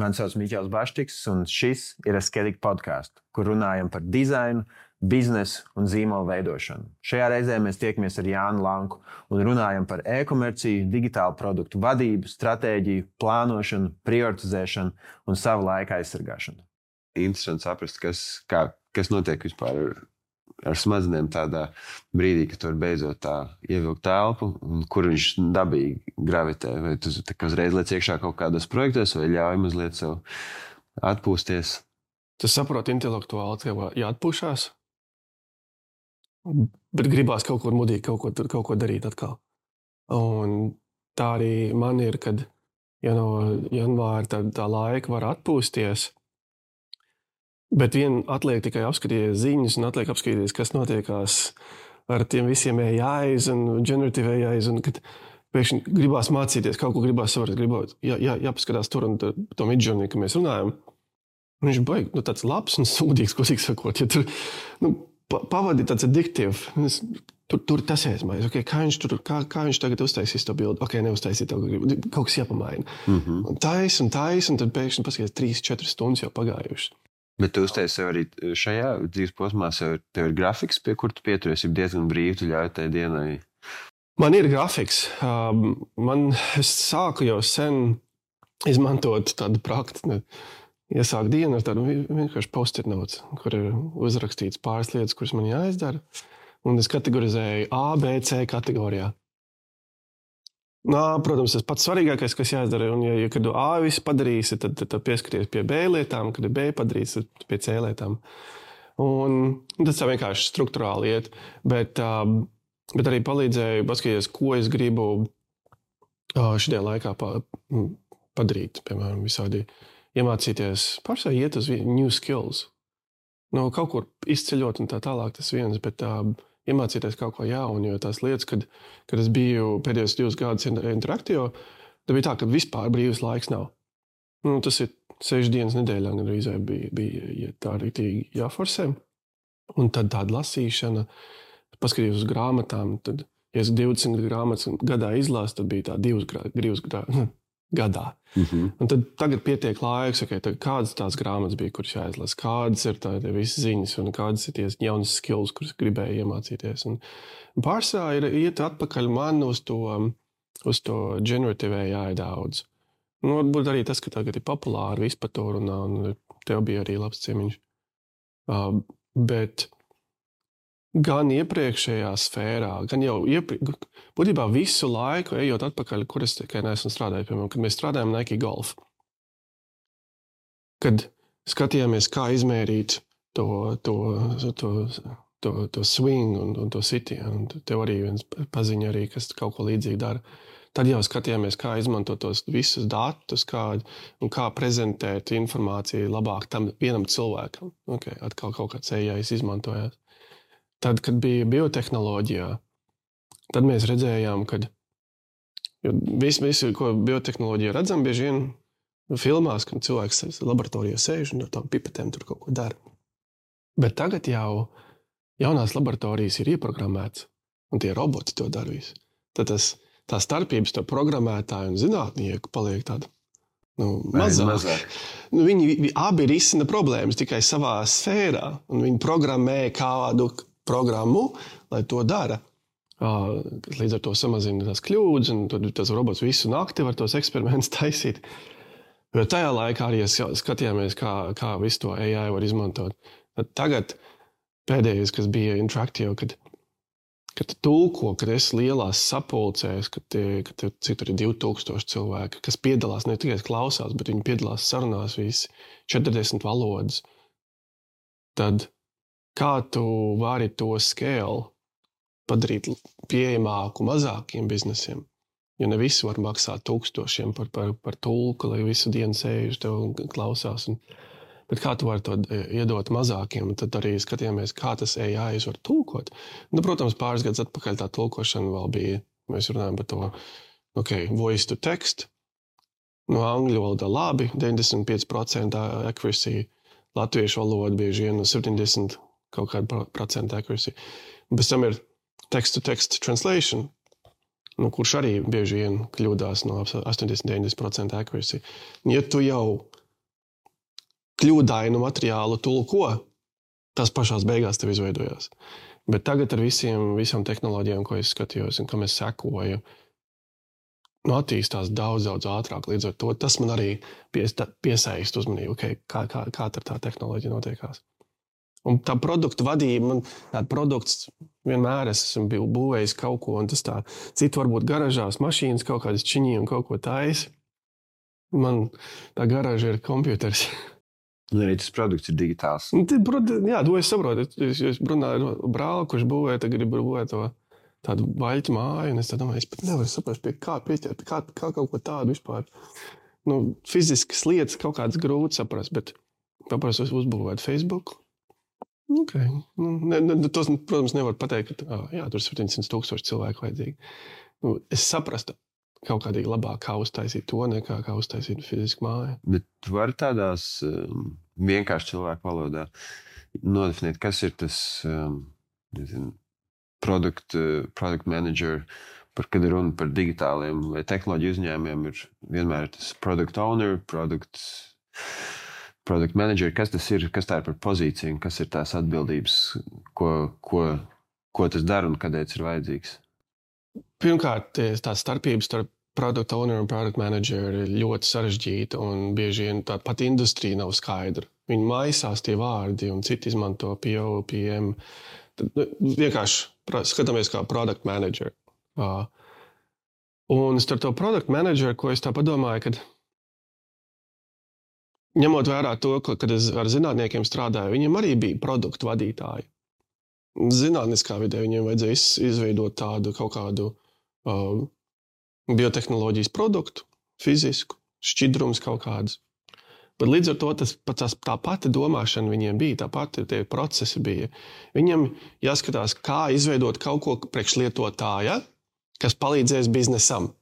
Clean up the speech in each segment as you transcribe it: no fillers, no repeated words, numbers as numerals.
Mani sauc Miķels Baštiks, un šis ir Asketic podcasts, kur runājam par dizainu, biznesu un zīmolu veidošanu. Šajā reizē mēs tiekamies ar Jānu Lanku un runājam par e-komerciju, digitālu produktu vadību, stratēģiju, plānošanu, prioritizēšanu un savu laika aizsargāšanu. Interesanti saprast, kas notiek vispār ar smadzenēm tādā brīdī, kad tu vari beidzot tā ievilkt telpu, un kur viņš dabīgi gravitē. Vai tu uzreiz liec iekšā kaut kādos projektos, vai ļauj mazliet sev atpūsties? Tu saproti intelektuāli, ka jāatpūšās, bet gribās kaut ko mudīgi, kaut ko darīt atkal. Un tā arī man ir, kad ja no janvāra tā laika var atpūsties, bet atliek tikai apskatīties ziņas un atliek apskatīties, kas notiekās ar tiem visiem AIs un generative AIs, un kad pēkšņi gribās mācīties, kaut ko gribās saprast, jāpaskatās tur un to Midjourney, ka mēs runājam. Un viņš baigi, tāds labs un sūdīgs, ko cik sakot. Ja tur pavadi tāds addictive, tur tas aizmaiz. Okay, kā viņš tagad uztaisīs to bildi? Ok, neuztaisīt to, kaut kas jāpamaina. Un tais, un tad pēkšņi paskaties 3-4 stundas jau pagājušas. Bet tu uztaisi sev arī šajā dzīves posmā, tev ir grafiks, pie kur tu pieturies, ir diezgan brīvi, tu ļauj tai dienai? Man ir grafiks. Es sāku jau sen izmantot tādu praktiku. Iesāku dienu ar tādu vienkārši post-it notes, kur ir uzrakstīts pāris lietas, kuras man jāizdara. Un es kategorizēju A, B, C kategorijā. Protams, tas pats svarīgākais, kas jāizdara, un kad A visu padarīsi, tad pieskaties pie B lietām, kad B padarīsi, tad pie C lietām. Un tas tā vienkārši strukturāli iet, bet arī palīdzēja paskatīties, ko es gribu šajā laikā padarīt, piemēram, visādi iemācīties, pārsvarā iet uz new skills. Kaut kur izceļot un tā tālāk tas viens, bet iemācīties kaut ko jaunu, jo tās lietas, kad es biju pēdējos 2 gadus interaktīvo, tad bija tā, ka vispār brīvs laiks nav. Tas ir 6 dienas nedēļā, gan arī bija tā rītīgi jāforsē. Un tad tāda lasīšana, paskatījos uz grāmatām, tad, ja es 20 grāmatas gadā izlasu, tad bija tā 2 gadā. Un tad tagad pietiek laiks, tad kādas tās grāmatas bija, kuras jāizlasa, kādas ir tādi visi ziņas un kādas ir ties jaunas skills, kuras gribēju iemācīties. Un pārsvarā ir iet atpakaļ man uz to generative AI daudz. Varbūt arī tas, ka tagad ir populāri vispār to runā, un tev bija arī labs ciemiņš. Bet gan iepriekšējā sfērā, gan jau būtībā visu laiku ejot atpakaļ, kur es tikai neesmu strādājis, piemēram, kad mēs strādājam Nike Golf. Kad skatījāmies, kā izmērīt to swing un to sitienu, un tev arī viens paziņa arī, kas kaut ko līdzīgi dara. Tad jau skatījāmies, kā izmantot tos visus datus, un kā prezentēt informāciju labāk tam vienam cilvēkam. Atkal kaut kāds AI izmantojās. Tad, kad bija biotehnoloģijā, tad mēs redzējām, ka visu, ko biotehnoloģijā redzam, bieži vien filmās, kad cilvēks laboratorijā sēž un ar tām pipetēm tur kaut ko dara. Bet tagad jau jaunās laboratorijas ir ieprogrammētas, un tie roboti to dara visu. Tad tā starpības to programmētāju un zinātnieku paliek tāda mazāk. Viņi abi risina problēmas tikai savā sfērā, un viņi programmē kādu programmu, lai to dara. Līdz ar to samazina tās kļūdas, un tad tas robots visu nakti var tos eksperimentus taisīt. Jo tajā laikā arī skatījāmies, kā visu to AI var izmantot. Tagad pēdējais, kas bija interaktīvi, kad tulko, kad es lielās sapulcēs, kad cik tur ir 2000 cilvēki, kas piedalās, ne tikai klausās, bet viņi piedalās sarunās visi 40 valodas, tad kā tu vari to scale padarīt pieejamāku mazākiem biznesiem? Jo ne visi var maksāt 1000 par tulku, lai visu dienu sēž tev un klausās. Bet kā tu vari to iedot mazākiem? Un tad arī skatījāmies, kā tas AI var tulkot. Protams, pāris gadus atpakaļ tā tulkošana vēl bija, mēs runājam par to, voice to text. Angļu valodā labi, 95% accuracy, latviešu valoda bieži vien 70% kaut kāda procenta accuracy. Bez tam ir text-to-text translation, kurš arī bieži vien kļūdās no 80-90% accuracy. Ja tu jau kļūdainu materiālu tulko, tas pašās beigās tev izveidojās. Bet tagad ar visām tehnoloģijām, ko es skatījos un kam es sekoju, attīstās daudz ātrāk. Līdz ar to tas man arī piesaist uzmanību, kā tā tehnoloģija notiekās. Un tā produktu vadība, tāda produkts vienmēr esmu būvējis kaut ko, un tas tā, citu varbūt garažās mašīnas kaut kādas čiņī un kaut ko taisa. Man tā garaža ir kompjuters. Un arī tas produkts ir digitāls. Jā, to es saprotu. Es runāju ar brāli, kurš būvēja, tagad grib būvēt to tādu vaļķu māju, un es domāju, es pat nevaru saprast, kā pieķert, kā kaut ko tādu vispār. Fiziskas lietas kaut kādas grūti saprast, bet paprasti uzbūvēt Facebook. Okay. Tos, protams, nevar pateikt, ka tur 700,000 cilvēku vajadzīgi. Es saprastu kaut kādīgi labāk, kā uztaisīt to, nekā kā uztaisīt fizisku māju. Bet tu vari tādās vienkārši cilvēku valodā nodefinēt, kas ir tas product manager, kad ir runa par digitāliem vai tehnoloģiju uzņēmumiem, ir vienmēr tas product owner, product manager, kas tas ir, kas tā ir par pozīciju, kas ir tās atbildības, ko tas dara un kādēļ tas ir vajadzīgs? Pirmkārt, tā starpības starp product owner un product manager ir ļoti sarežģīta un bieži vien tā pat industrija nav skaidra. Viņi maisās tie vārdi un citi izmanto PO, PM. Tad vienkārši skatāmies kā product manager. Un starp to product manager, ko es tā padomāju, kad ņemot vērā to, kad es ar zinātniekiem strādāju, viņiem arī bija produktu vadītāji. Zinātniskā vidē viņiem vajadzēja izveidot tādu kaut kādu biotehnoloģijas produktu, fizisku, šķidrums kaut kādus. Bet līdz ar to tā pati domāšana viņiem bija, tā pati tie procesi bija. Viņiem jāskatās, kā izveidot kaut ko priekšlietotāja, kas palīdzēs biznesam.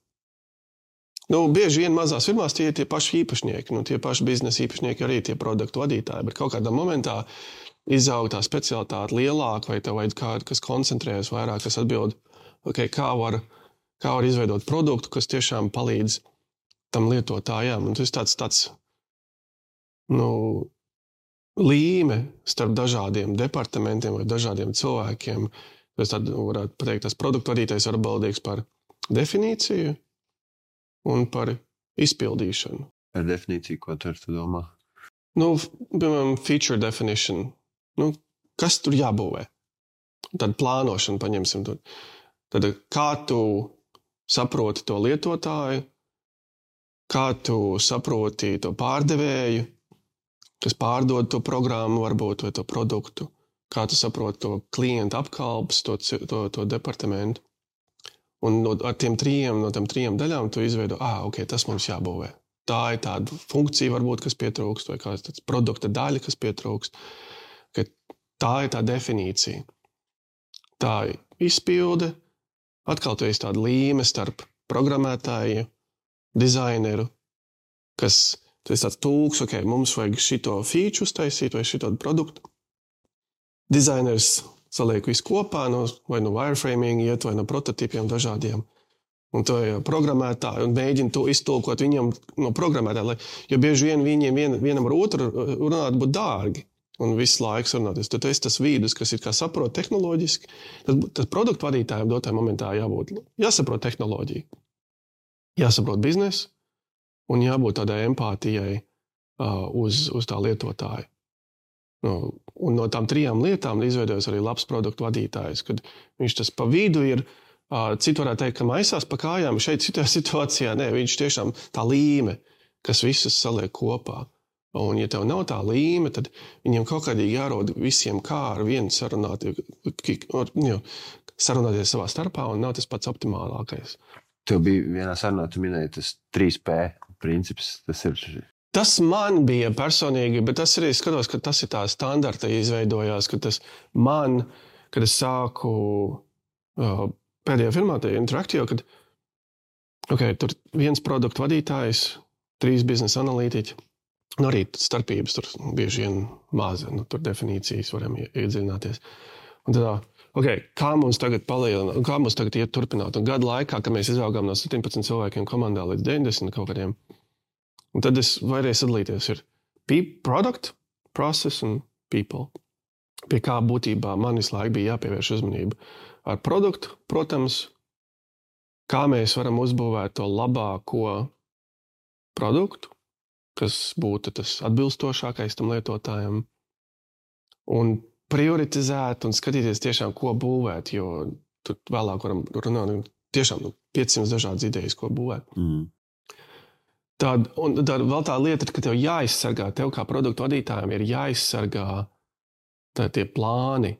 Bieži vien mazās firmās tie ir tie paši īpašnieki, tie paši biznesa īpašnieki arī tie produktu vadītāji, bet kaut kādā momentā izaug tā specialitāte lielāka vai tev vajag kādu, kas koncentrējas vairāk, kas atbild, kā var izveidot produktu, kas tiešām palīdz tam lietotājām. Un tas tāds līme starp dažādiem departamentiem vai dažādiem cilvēkiem. Es tad varētu pateikt, tas produktu vadītājs ir atbildīgs par definīciju un par izpildīšanu. Ar definīciju, ko tu domā? Piemēram, feature definition. Kas tur jābūvē? Tad plānošanu paņemsim. Tad kā tu saproti to lietotāju, kā tu saproti to pārdevēju, kas pārdod to programmu varbūt vai to produktu, kā tu saproti to klientu apkalpes, to departamentu. Un no tām trijām daļām tu izveido, tas mums jābūvē. Tā ir tāda funkcija varbūt, kas pietrūkst, vai kāds tāds produkta daļa, kas pietrūkst. Tā ir tā definīcija. Tā izpilde, atkal tu esi tāda līme starp programmētāju, dizaineru, kas tu esi tāds tulks, mums vajag šito feature uztaisīt vai šito produktu. Dizainers saliek visu kopā, vai no wireframing iet, vai no prototipiem dažādiem. Un to programmētāji un mēģina to iztulkot viņam no programmētāja, jo bieži vien vienam ar otru runāt būtu dārgi un visu laiku runāties. Tad es tas vīdus, kas ir kā saprot tehnoloģiski, tas produktu vadītājiem dotā momentā jāsaprot tehnoloģiju, jāsaprot biznesu un jābūt tādai empātijai uz tā lietotāju. Un no tām trijām lietām izveidojas arī labs produktu vadītājs, kad viņš tas pa vidu ir, citu varētu teikt, ka maisās pa kājām, šeit citā situācijā, viņš tiešām tā līme, kas visas saliek kopā. Un ja tev nav tā līme, tad viņiem kaut kādīgi jārod visiem kā ar vienu sarunāties savā starpā un nav tas pats optimālākais. Tev bija vienā sarunā, tu minēji tas 3P princips, tas ir... Tas man bija personīgi, bet tas arī skatos, ka tas ir tā standarta izveidojās, ka tas man, kad es sāku pēdējā firmā, tā Interactio, kad tur viens produktu vadītājs, 3 biznesa analītiķi, arī starpības tur bieži vien maza, tur definīcijas varam iedziļināties. Un tad, kā mums tagad palielināt, kā mums tagad iet turpināt? Un gadu laikā, kad mēs izaugām no 17 cilvēkiem komandā līdz 90 kaut kādiem, un tad es varēju sadalīties, ir product, process un people. Pie kā būtībā man visu laiku bija jāpievērš uzmanība. Ar produktu, protams, kā mēs varam uzbūvēt to labāko produktu, kas būtu tas atbilstošākais tam lietotājam, un prioritizēt un skatīties tiešām, ko būvēt, jo tur vēlāk varam runāt tiešām 500 dažādas idejas, ko būvēt. Tad vēl tā lieta ir, ka tev jāizsargā, tev kā produktu vadītājiem ir jāizsargā tie plāni,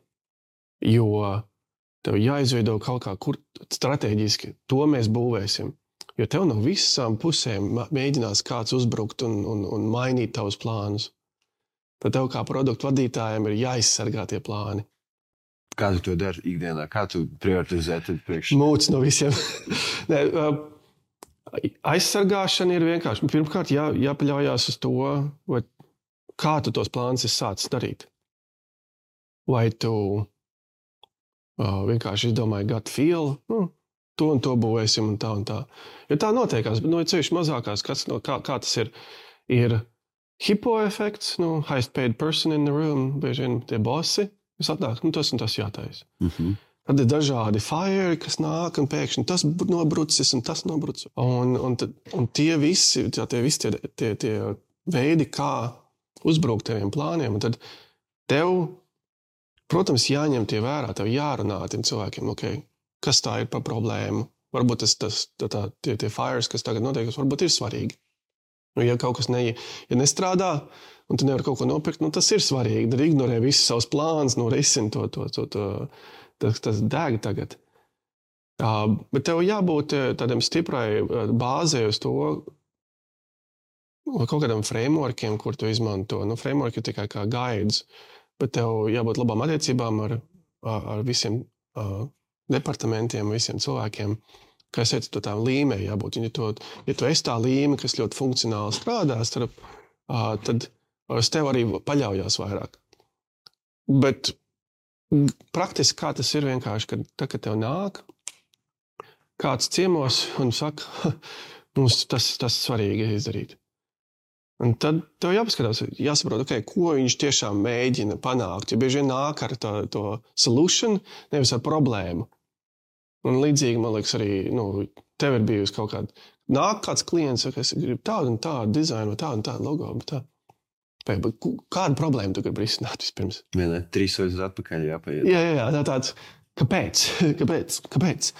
jo tev jāizveido kaut kā, kur strateģiski to mēs būvēsim. Jo tev no visām pusēm mēģinās kāds uzbrukt un mainīt tavus plānus. Tad tev kā produktu vadītājiem ir jāizsargā tie plāni. Kā tu to dari ikdienā? Kā tu prioritizē tad priekš? Mūc no visiem. Aizsargāšana ir vienkārši. Pirmkārt, jāpaļaujās uz to, kā tu tos plānus esi sācis darīt. Vai tu vienkārši izdomāji gut feel, to un to būvēsim un tā. Jo tā notiekās, bet ceļš mazākās, kā tas ir hipo efekts, highest paid person in the room, bieži vien tie bossi, kas atnāk, tas un tas jātais. Tad ir dažādi fire, kas nāk un pēkšņi tas nobrucis un tas nobrucis. Un tie visi tie veidi, kā uzbrukt teviem plāniem, un tad tev, protams, jāņem tie vērā, tev jārunā tiem cilvēkiem, kas tā ir par problēmu. Varbūt tie fires, kas tagad notiek, varbūt ir svarīgi. Ja kaut kas nestrādā, un tu nevar kaut ko nopirkt, tas ir svarīgi. Tad ignorē visus savus plānus, risina tas deg tagad. Bet tev jābūt tādam stiprai bāzē uz to, kaut kādam frameworkiem, kur tu izmanto. Framework ir tikai kā guides, bet tev jābūt labām attiecībām ar visiem departamentiem, visiem cilvēkiem, kā es teicu, tām līmē jābūt. Ja tu esi tā līme, kas ļoti funkcionāli strādās, tad uz tev arī paļaujās vairāk. Bet praktiski kā tas ir vienkārši, kad tev nāk kāds ciemos un saka, mums tas svarīgi izdarīt. Un tad tev jāsaprot, ko viņš tiešām mēģina panākt. Jo bieži vien nāk ar to solution, nevis ar problēmu. Un līdzīgi, man liekas, arī tev ir bijusi kaut kāda. Nāk kāds klients, saka, es gribu tādu un tādu dizainu, tādu un tādu logo. Bet kādu problēmu tu gribi risināt vispirms? 3 soļus atpakaļ jāpaiet. Jā, tāds, kāpēc? Bet,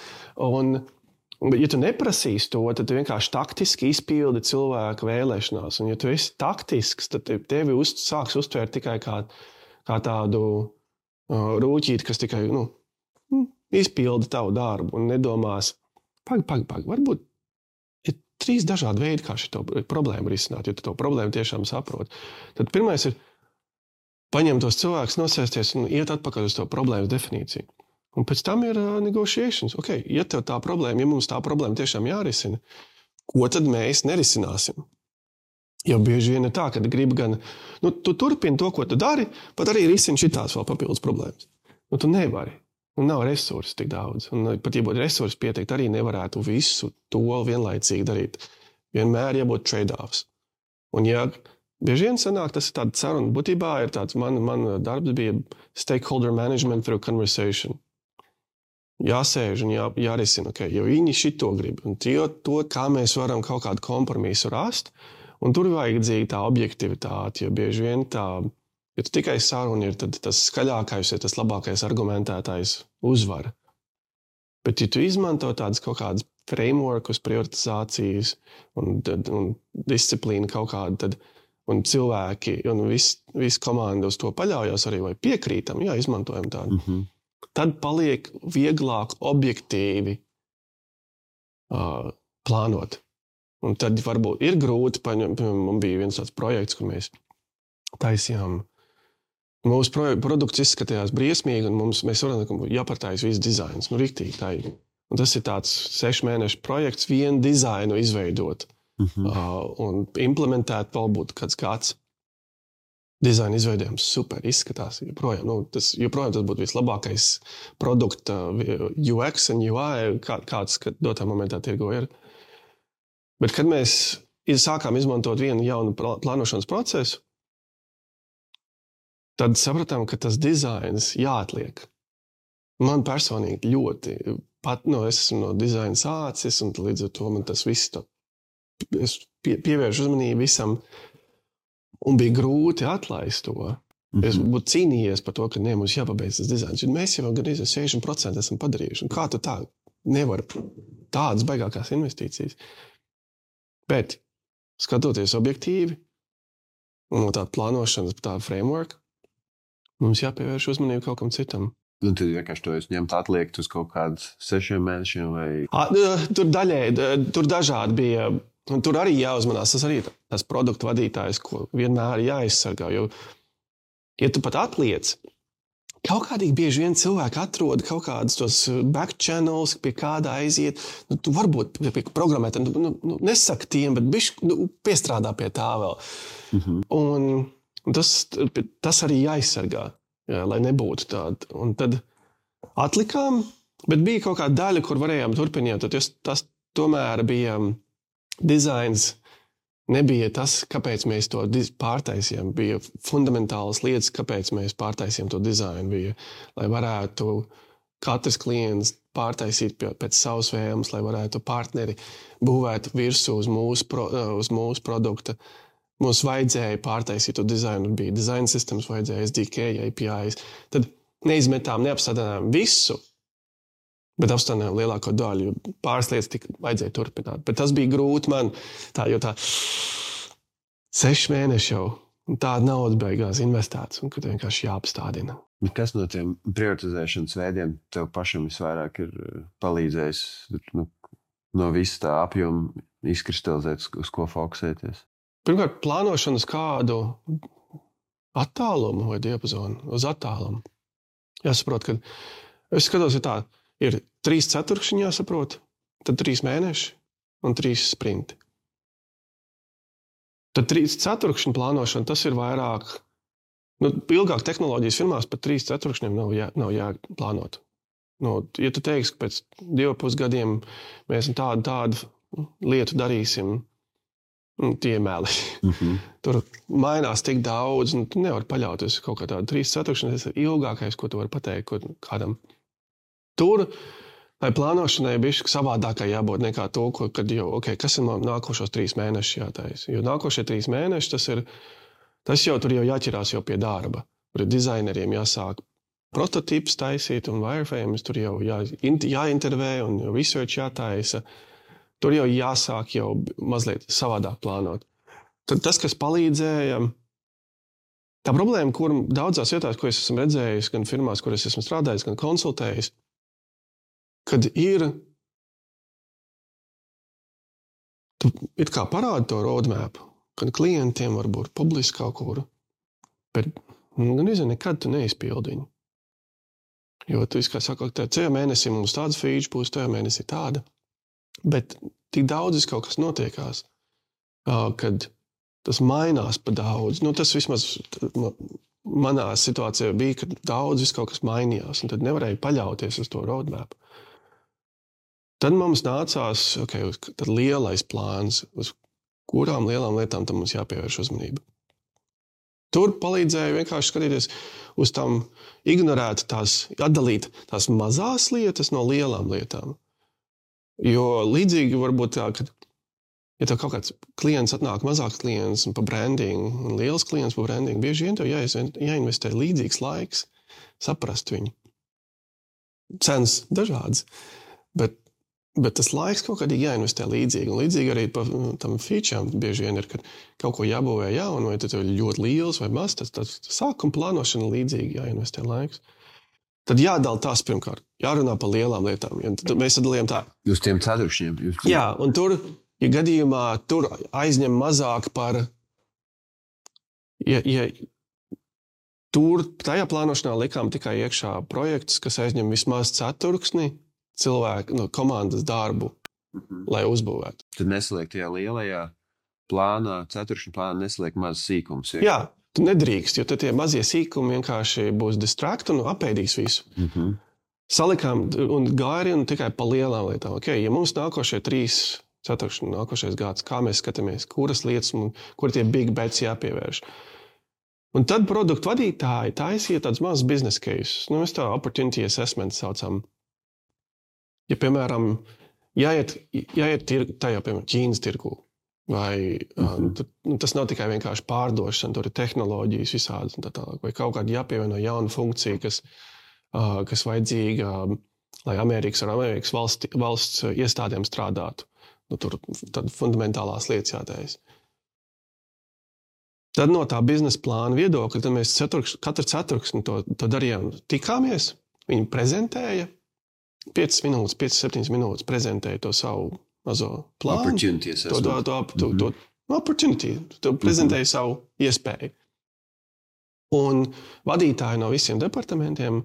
ja tu neprasīsi to, tad tu vienkārši taktiski izpildi cilvēka vēlēšanās. Un, ja tu esi taktisks, tad tevi sāks uztvērt tikai kā tādu rūķīti, kas tikai izpildi tavu darbu un nedomās, pag, varbūt ir 3 dažādi veidi, kā šo problēmu risināt, jo tu to problēmu tiešām saproti. Tad pirmais ir paņemt tos cilvēkus, nosēsties un iet atpakaļ uz to problēmas definīciju. Un pēc tam ir negotiations. Ja tev tā problēma, ja mums tā problēma tiešām jārisina, ko tad mēs nerisināsim? Jo bieži vien ir tā, ka gribi gan, tu turpini to, ko tu dari, pat arī risini šitās vēl papildus problēmas. Tu nevari. Un nav resursu tik daudz. Un pat, ja būtu resursi pieteikt, arī nevarētu visu to vienlaicīgi darīt. Vienmēr jābūt trade-offs. Un bieži vien sanāk, tas ir tāda saruna. Būtībā ir tāds, man darbs bija stakeholder management through conversation. Jāsēž un jārisina, jo viņi šito grib. Un to, kā mēs varam kaut kādu kompromisu rast, un tur ir vajadzīga tā objektivitāte, jo bieži vien ja tu tikai saruna ir, tad tas skaļākais, tas labākais argumentētājs uzvar. Bet ja tu izmanto tādas kaut kādas frameworkus, prioritizācijas un disciplīnu kaut kādu, un cilvēki, un viss komanda uz to paļaujās arī, vai piekrītam, izmantojam tādu. Tad paliek vieglāk objektīvi plānot. Un tad varbūt ir grūti, man bija viens tāds projekts, kur mēs taisījām. Mūsu produkts izskatījās briesmīgi, un mēs varam, ka jāpartājas viss dizains. Riktīgi tā ir. Un tas ir tāds 6 mēnešu projekts, vienu dizainu izveidot. Un implementēt vēl būtu kāds gads. Dizaina izveidojums super izskatās. Joprojām tas būtu vislabākais produkta UX un UI, kāds dotā momentā tirgo ir. Bet kad mēs sākām izmantot vienu jaunu plānošanas procesu, tad sapratām, ka tas dizains jāatliek. Man personīgi ļoti, es esmu no dizaina sācis, un līdz ar to man tas viss, es pievēršu uzmanību visam, un bija grūti atlaist to. Es būtu cīnījies par to, ka mums jāpabeidz tas dizains, un mēs jau gan 60% esam padarījuši. Un kā tu tā nevar tādas baigākās investīcijas? Bet, skatoties objektīvi, un no tāda plānošanas, tāda framework, mums jāpievērš uzmanību kaut kam citam. Un tad vienkārši to jūs ņemt atliekt uz kaut kādu 6 mēnešiem vai... Tur dažādi bija, un tur arī jāuzmanās, tas arī tas produktu vadītājs, ko vienmēr jāizsargā, jo, ja tu pat atliec, kaut kādīgi bieži vien cilvēki atrod kaut kādus tos back channels, pie kāda aiziet, tu varbūt pie programmētā, nesaka tiem, bet piestrādā pie tā vēl. Un tas arī jāizsargā. Jā, lai nebūtu tāda. Un tad atlikām, bet bija kaut kāda daļa, kur varējām turpināt. Tas tomēr bija dizains, nebija tas, kāpēc mēs to pārtaisījām. Bija fundamentālas lietas, kāpēc mēs pārtaisījām to dizainu. Bija, lai varētu katrs klients pārtaisīt pēc savas vēlmes, lai varētu partneri būvēt virsū uz mūsu produkta. Mums vajadzēja pārtaisīt to dizainu, bija design systems, vajadzēja SDK, APIs. Tad neizmetām, neapstādinājām visu, bet apstādinājām lielāko daļu, jo pāris lietas vajadzēja turpināt. Bet tas bija grūti man, jo 6 mēneši jau, un tāda nauda beigās investēts, un kad vienkārši jāapstādina. Kas no tiem prioritizēšanas veidiem tev pašam visvairāk ir palīdzējis no visa tā apjoma izkristalizēt, uz ko fokusēties? Pirmkārt, plānošanas kādu attālumu vai diapazonu uz attālumu. Jāsaprot, ka es skatos, ja tā ir 3 ceturkšņi jāsaprot, tad 3 mēneši un 3 sprinti. Tad 3 ceturkšņu plānošana, tas ir vairāk, ilgāk tehnoloģijas firmās pat 3 ceturkšņiem nav jāplānot. Ja tu teiksi, ka pēc 2,5 gadiem mēs tādu lietu darīsim, tie meli. Tur mainās tik daudz, un tu nevari paļauties kaut kā tādu 3 ceturkšņi, tas ir ilgākais, ko tu vari pateikt kādam. Tur, lai plānošanai bišķi savādākai jābūt nekā to, kad jau, kas ir nākošos 3 mēnešus jātais. Jo nākošie 3 mēneši, tas jau tur jau jāķerās jau pie darba. Tur dizaineriem jāsāk prototips taisīt un wireframes, tur jau jāintervē un research jātaisa. Tur jau jāsāk jau mazliet savādāk plānot. Tad tas, kas palīdzēja, tā problēma, kur daudzās vietās, ko es esmu redzējis, gan firmās, kur es esmu strādājis, gan konsultējis, kad tu it kā parādi to roadmap, kad klientiem varbūt publiski kaut kur, bet gan nekad tu neizpildi viņu. Jo tu kā saka, tajā mēnesī mums tāds feature būs, tajā mēnesī tāda. Bet tik daudz kaut kas notiekās, kad tas mainās pa daudz. Tas vismaz manā situācijā bija, ka daudz kaut kas mainījās, un tad nevarēja paļauties uz to roadmap. Tad mums nācās tad lielais plāns, uz kurām lielām lietām tam mums jāpievērš uzmanība. Tur palīdzēja vienkārši skatīties uz tām, ignorēt atdalīt tās mazās lietas no lielām lietām. Jo līdzīgi varbūt tā, ka, ja tev kaut kāds klients atnāk, mazāks klients un pa brandingu, un liels klients pa brandingu, bieži vien tev jāinvestē līdzīgs laiks, saprast viņu. Cenas dažādas, bet tas laiks kaut kādīgi jāinvestē līdzīgi. Un līdzīgi arī pa tam featurām bieži vien ir, kad kaut ko jābūvē jaunu, vai tad tev ļoti liels vai maz, tad sākuma plānošana līdzīgi jāinvestē laiks. Tad jādala tās pirmkārt, jārunā par lielām lietām. Tad mēs sadalījām tā. Uz tiem ceturkšņiem. Jā, un tur, ja gadījumā tur aizņem mazāk par... Ja tur tajā plānošanā likām tikai iekšā projekts, kas aizņem vismaz ceturksni cilvēku komandas darbu, lai uzbūvētu. Tad nesaliek tajā lielajā plānā, ceturkšņu plānā nesaliek maz sīkums. Jā. Tu nedrīkst, jo tad tie mazie sīkumi vienkārši būs distrakt un apēdīs visu. Salikām un gāri un tikai pa lielām lietām. Ja mums nākošie 3 ceturkšņi, nākošais gads, kā mēs skatāmies, kuras lietas, kur tie big bets jāpievērš. Un tad produktu vadītāji taisīja tāds mazs business case. Mēs tā opportunity assessment saucam. Ja, piemēram, jāiet tajā, piemēram, Ķīnas tirgū, vai tas nav tikai vienkārši pārdošana, tur ir tehnoloģijas visādas un tā tālāk, vai kaut kāda jāpievieno jauna funkcija, kas vajadzīga, lai Amerikas valsts iestādēm strādātu. Tur tad fundamentālās lietas jātais. Tad no tā biznesa plāna viedokļa, tad mēs katru ceturksni to darījām. Tikāmies, viņi prezentēja 5-7 minūtes prezentēja to savu mazo plānu. Opportunity. To prezentēja savu iespēju. Un vadītāji no visiem departamentiem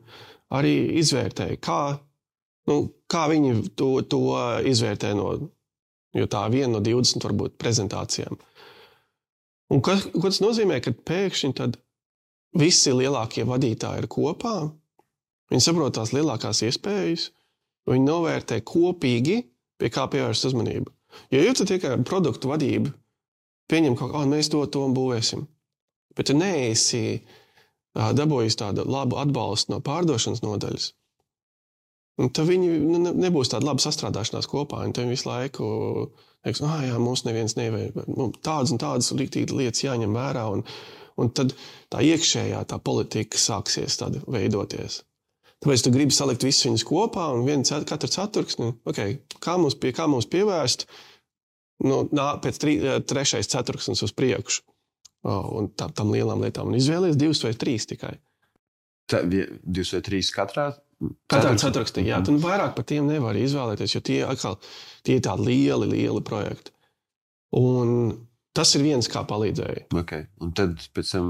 arī izvērtēja, kā viņi to izvērtē jo tā viena no 20 varbūt prezentācijām. Un ko tas nozīmē, ka pēkšņi tad visi lielākie vadītāji ir kopā, viņi saprot tās lielākās iespējas, viņi novērtē kopīgi, pie kā pievērst uzmanību. Jo tu tikai produktu vadību pieņem kaut kā, mēs to būvēsim. Bet tu neesi dabūjis tādu labu atbalstu no pārdošanas nodaļas. Un tad viņi nebūs tāda laba sastrādāšanās kopā, un tad viņi visu laiku teiks, mums neviens nevajag, tādas un tādas riktīgi lietas jāņem vērā, un tad tā iekšējā tā politika sāksies tāda veidoties. Tāpēc tu gribi salikt visus viņus kopā, un katru ceturksni, kā mums pievērst, pēc trešais ceturksnis uz priekšu, un tam lielām lietām, un izvēlies 2 vai 3 tikai. 2 vai 3 katrā? Katrā ceturkstī, jā. Tu vairāk par tiem nevari izvēlēties, jo tie ir tādi lieli projekti. Un tas ir viens, kā palīdzēja. Okay. Un tad pēc tam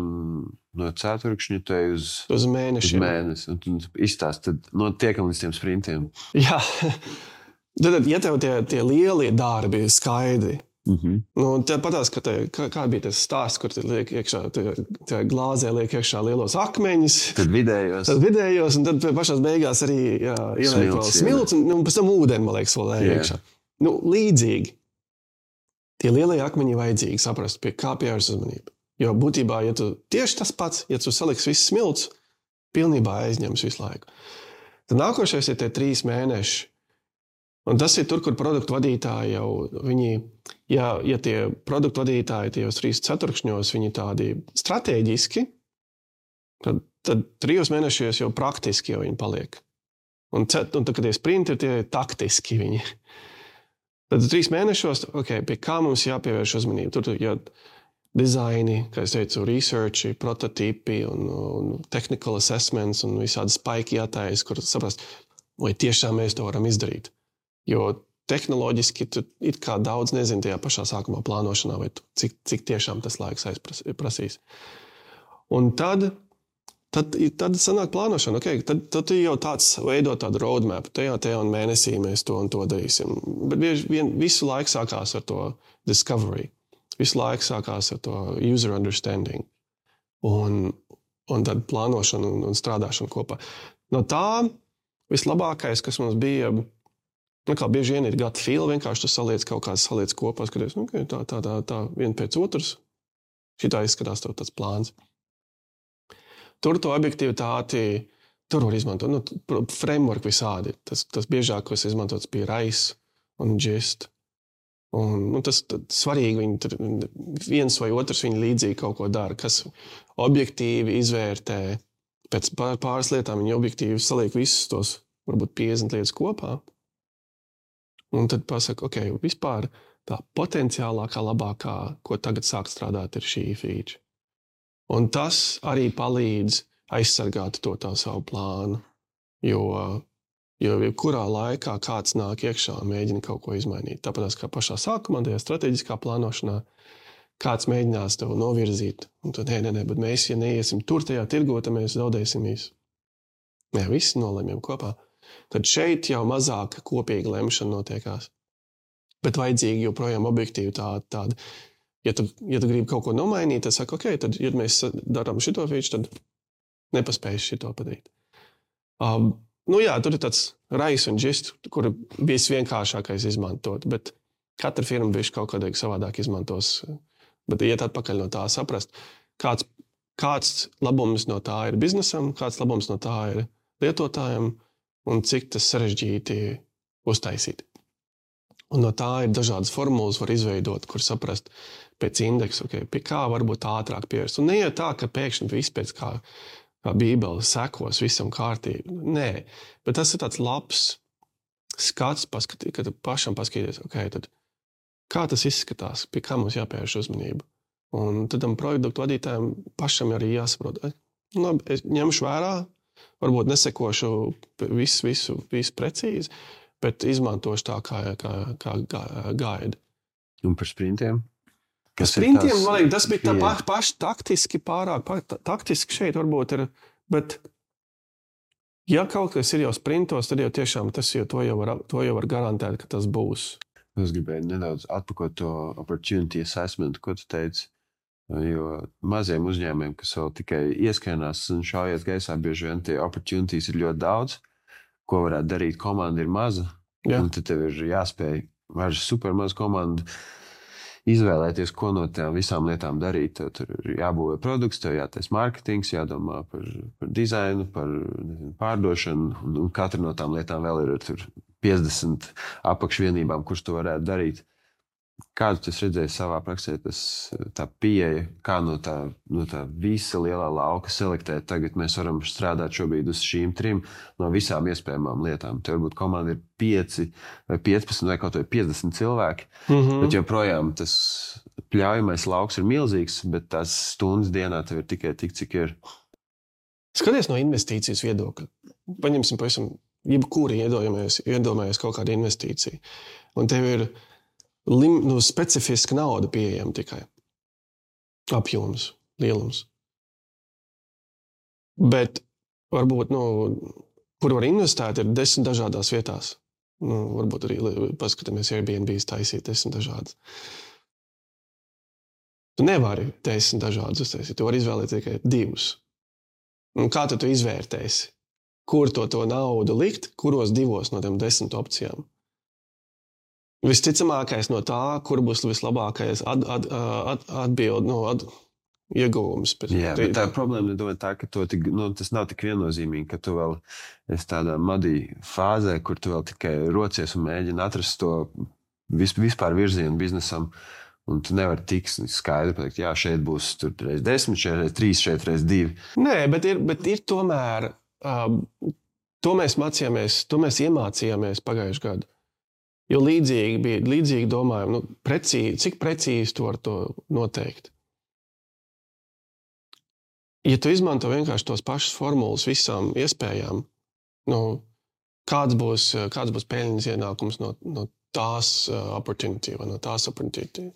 no ceturkšņa tu ej uz mēnešiem. Un tu izstāst, tad tiekam līdz tiem sprintiem. Jā. Tad, ja tev tie lielie darbi ir skaidri, tad patās, kā bija tas stāsts, kur liek iekšā, tie glāzē liek iekšā lielos akmeņus. Tad vidējos, un tad pašās beigās arī ieliek vēl smilts, un pēc tam ūdeni, man liekas, vēl iekšā. Līdzīgi. Tie lielie akmeņi vajadzīgi saprast, pie kā pievērst uzmanību. Jo būtībā, ja tu tieši tas pats, ja tu saliks visus smilts, pilnībā aizņems visu laiku. Tad nākošais ir tie 3 mēneši. Un tas ir tur, kur produktu vadītāji jau, ja tie produktu vadītāji tajos 3 ceturkšņos, viņi tādi strateģiski, tad 3 mēnešos jau praktiski jau viņi paliek. Un tad, kad tie sprinti ir tie taktiski viņi. Tad 3 mēnešos, pie kā mums jāpievērš uzmanību. Tur jau dizaini, kā es teicu, researchi, prototipi un technical assessments un visādi spaiki jātājas, kur saprast, vai tiešām mēs to varam izdarīt. Jo tehnoloģiski tu it kā daudz nezini tajā pašā sākumā plānošanā, vai cik tiešām tas laiks prasīs. Un tad sanāk plānošana. Tad jau tāds veido tādu roadmap. Tajā un mēnesī mēs to un to darīsim. Bet bieži vien visu laiku sākās ar to discovery. Visu laiku sākās ar to user understanding. Un tad plānošana un strādāšana kopā. No tā vislabākais, kas mums bija, kā bieži vien ir gut feel, vienkārši tu saliec kaut kādas saliec kopā, skaties, tā vien pēc otras. Šitā izskatās tāds plāns. Tur to objektivitāti, tur var izmantot, framework visādi. Tas biežāk, kas izmantots bija RISE un GIST. Un tas svarīgi, viņi tur viens vai otrs viņi līdzīgi kaut ko dara, kas objektīvi izvērtē. Pēc pāris lietām viņi objektīvi saliek visus tos, varbūt 50 lietas kopā. Un tad pasaka, vispār tā potenciālākā, labākā, ko tagad sāk strādāt, ir šī feature. Un tas arī palīdz aizsargāt to tā savu plānu, jo kurā laikā kāds nāk iekšā un mēģina kaut ko izmainīt. Tāpēc kā pašā sākumā, tajā strateģiskā plānošanā, kāds mēģinās tev novirzīt. Un tad, bet mēs, ja neiesim tur tajā tirgo, tad mēs zaudēsim visu. Visi nolemjam kopā. Tad šeit jau mazāk kopīga lemšana notiekās. Bet vajadzīgi joprojām objektīvi tāda. Ja tu gribi kaut ko nomainīt, tad saka, tad, ja mēs darām šito feature, tad nepaspējas šito padarīt. Tur ir tāds RISE un GIST, kur visvienkāršākais izmantot, bet katra firma bišķi kaut kādīgi savādāk izmantos. Bet iet atpakaļ no tā saprast, kāds kāds labums no tā ir biznesam, kāds labums no tā ir lietotājiem un cik tas sarežģīti uztaisīt. Un no tā ir dažādas formulas var izveidot, kur saprast pēc indeksa, pie kā varbūt ātrāk pievērst. Un neiet tā, ka pēkšņi viss pēc kā Bībele sekos visam kārtīgi. Nē, bet tas ir tāds labs skats, kad pašam paskatīties, tad kā tas izskatās, pie kā mums jāpievērš uzmanību. Un tad tam produktu vadītājiem pašam arī jāsaprot. Es ņemšu vērā, varbūt nesekošu visu precīzi, bet izmantošu tā kā gaida. Un par sprintiem? Par sprintiem, man liekas, tas bija tā paši taktiski pārāk. Taktiski šeit varbūt ir, bet ja kaut kas ir jau sprintos, tad jau tiešām to jau var garantēt, ka tas būs. Es gribēju nedaudz atpakot to opportunity assessment, ko tu teici. Jo maziem uzņēmumiem, kas vēl tikai ieskainās un šaujies gaisā, bieži vien tie opportunities ir ļoti daudz, ko varētu darīt, komanda ir maza, un tad tev ir jāspēj ar super mazu komandu izvēlēties, ko no tām visām lietām darīt. Tev tur ir jābūvē produkts, tev jātais marketings, jādomā par dizainu, par pārdošanu, un katra no tām lietām vēl ir tur 50 apakšvienībām, kurš to varētu darīt. Kādu tu redzēji savā praksē, tā pieeja, kā no tā visa lielā lauka selektēt? Tagad mēs varam strādāt šobrīd uz šīm 3 no visām iespējamām lietām. Te varbūt komanda ir 5 vai 15 vai kaut vai 50 cilvēki, bet joprojām tas pļaujamais lauks ir milzīgs, bet tās stundas dienā tev ir tikai tik, cik ir. Skaties no investīcijas viedokļa. Paņemsim pavisam, jebkuri iedomājies kaut kādu investīciju. Un tev ir specifiska nauda pieejama tikai. Apjoms, lielums. Bet varbūt, kur var investēt, ir 10 dažādās vietās. Varbūt arī paskatāmies Airbnb taisīt 10 dažādas. Tu nevari 10 dažādas uztaisīt, tu vari izvēlēt tikai 2. Un kā tu izvērtēsi? Kur to naudu likt, kuros 2 no tiem 10 opcijām? Visticamākais no tā, kur būs vislabākais atbild, ieguvums. Bet tā problēma ir tā, ka tas nav tik viennozīmīgi, ka tu vēl esi tādā madī fāzē, kur tu vēl tikai rocies un mēģini atrast to vispār virzienu biznesam, un tu nevari tik skaidri pateikt, jā, šeit būs reiz 10, šeit reiz 3, šeit reiz 2. Nē, bet ir tomēr, to mēs iemācījāmies pagājušajā gadu. Jo līdzīgi domājam, cik precīzi tu vari to noteikt. Ja tu izmanto vienkārši tos pašas formulas visām iespējām, kāds būs peļņas ienākums no tās opportunity vai no tās opportunity.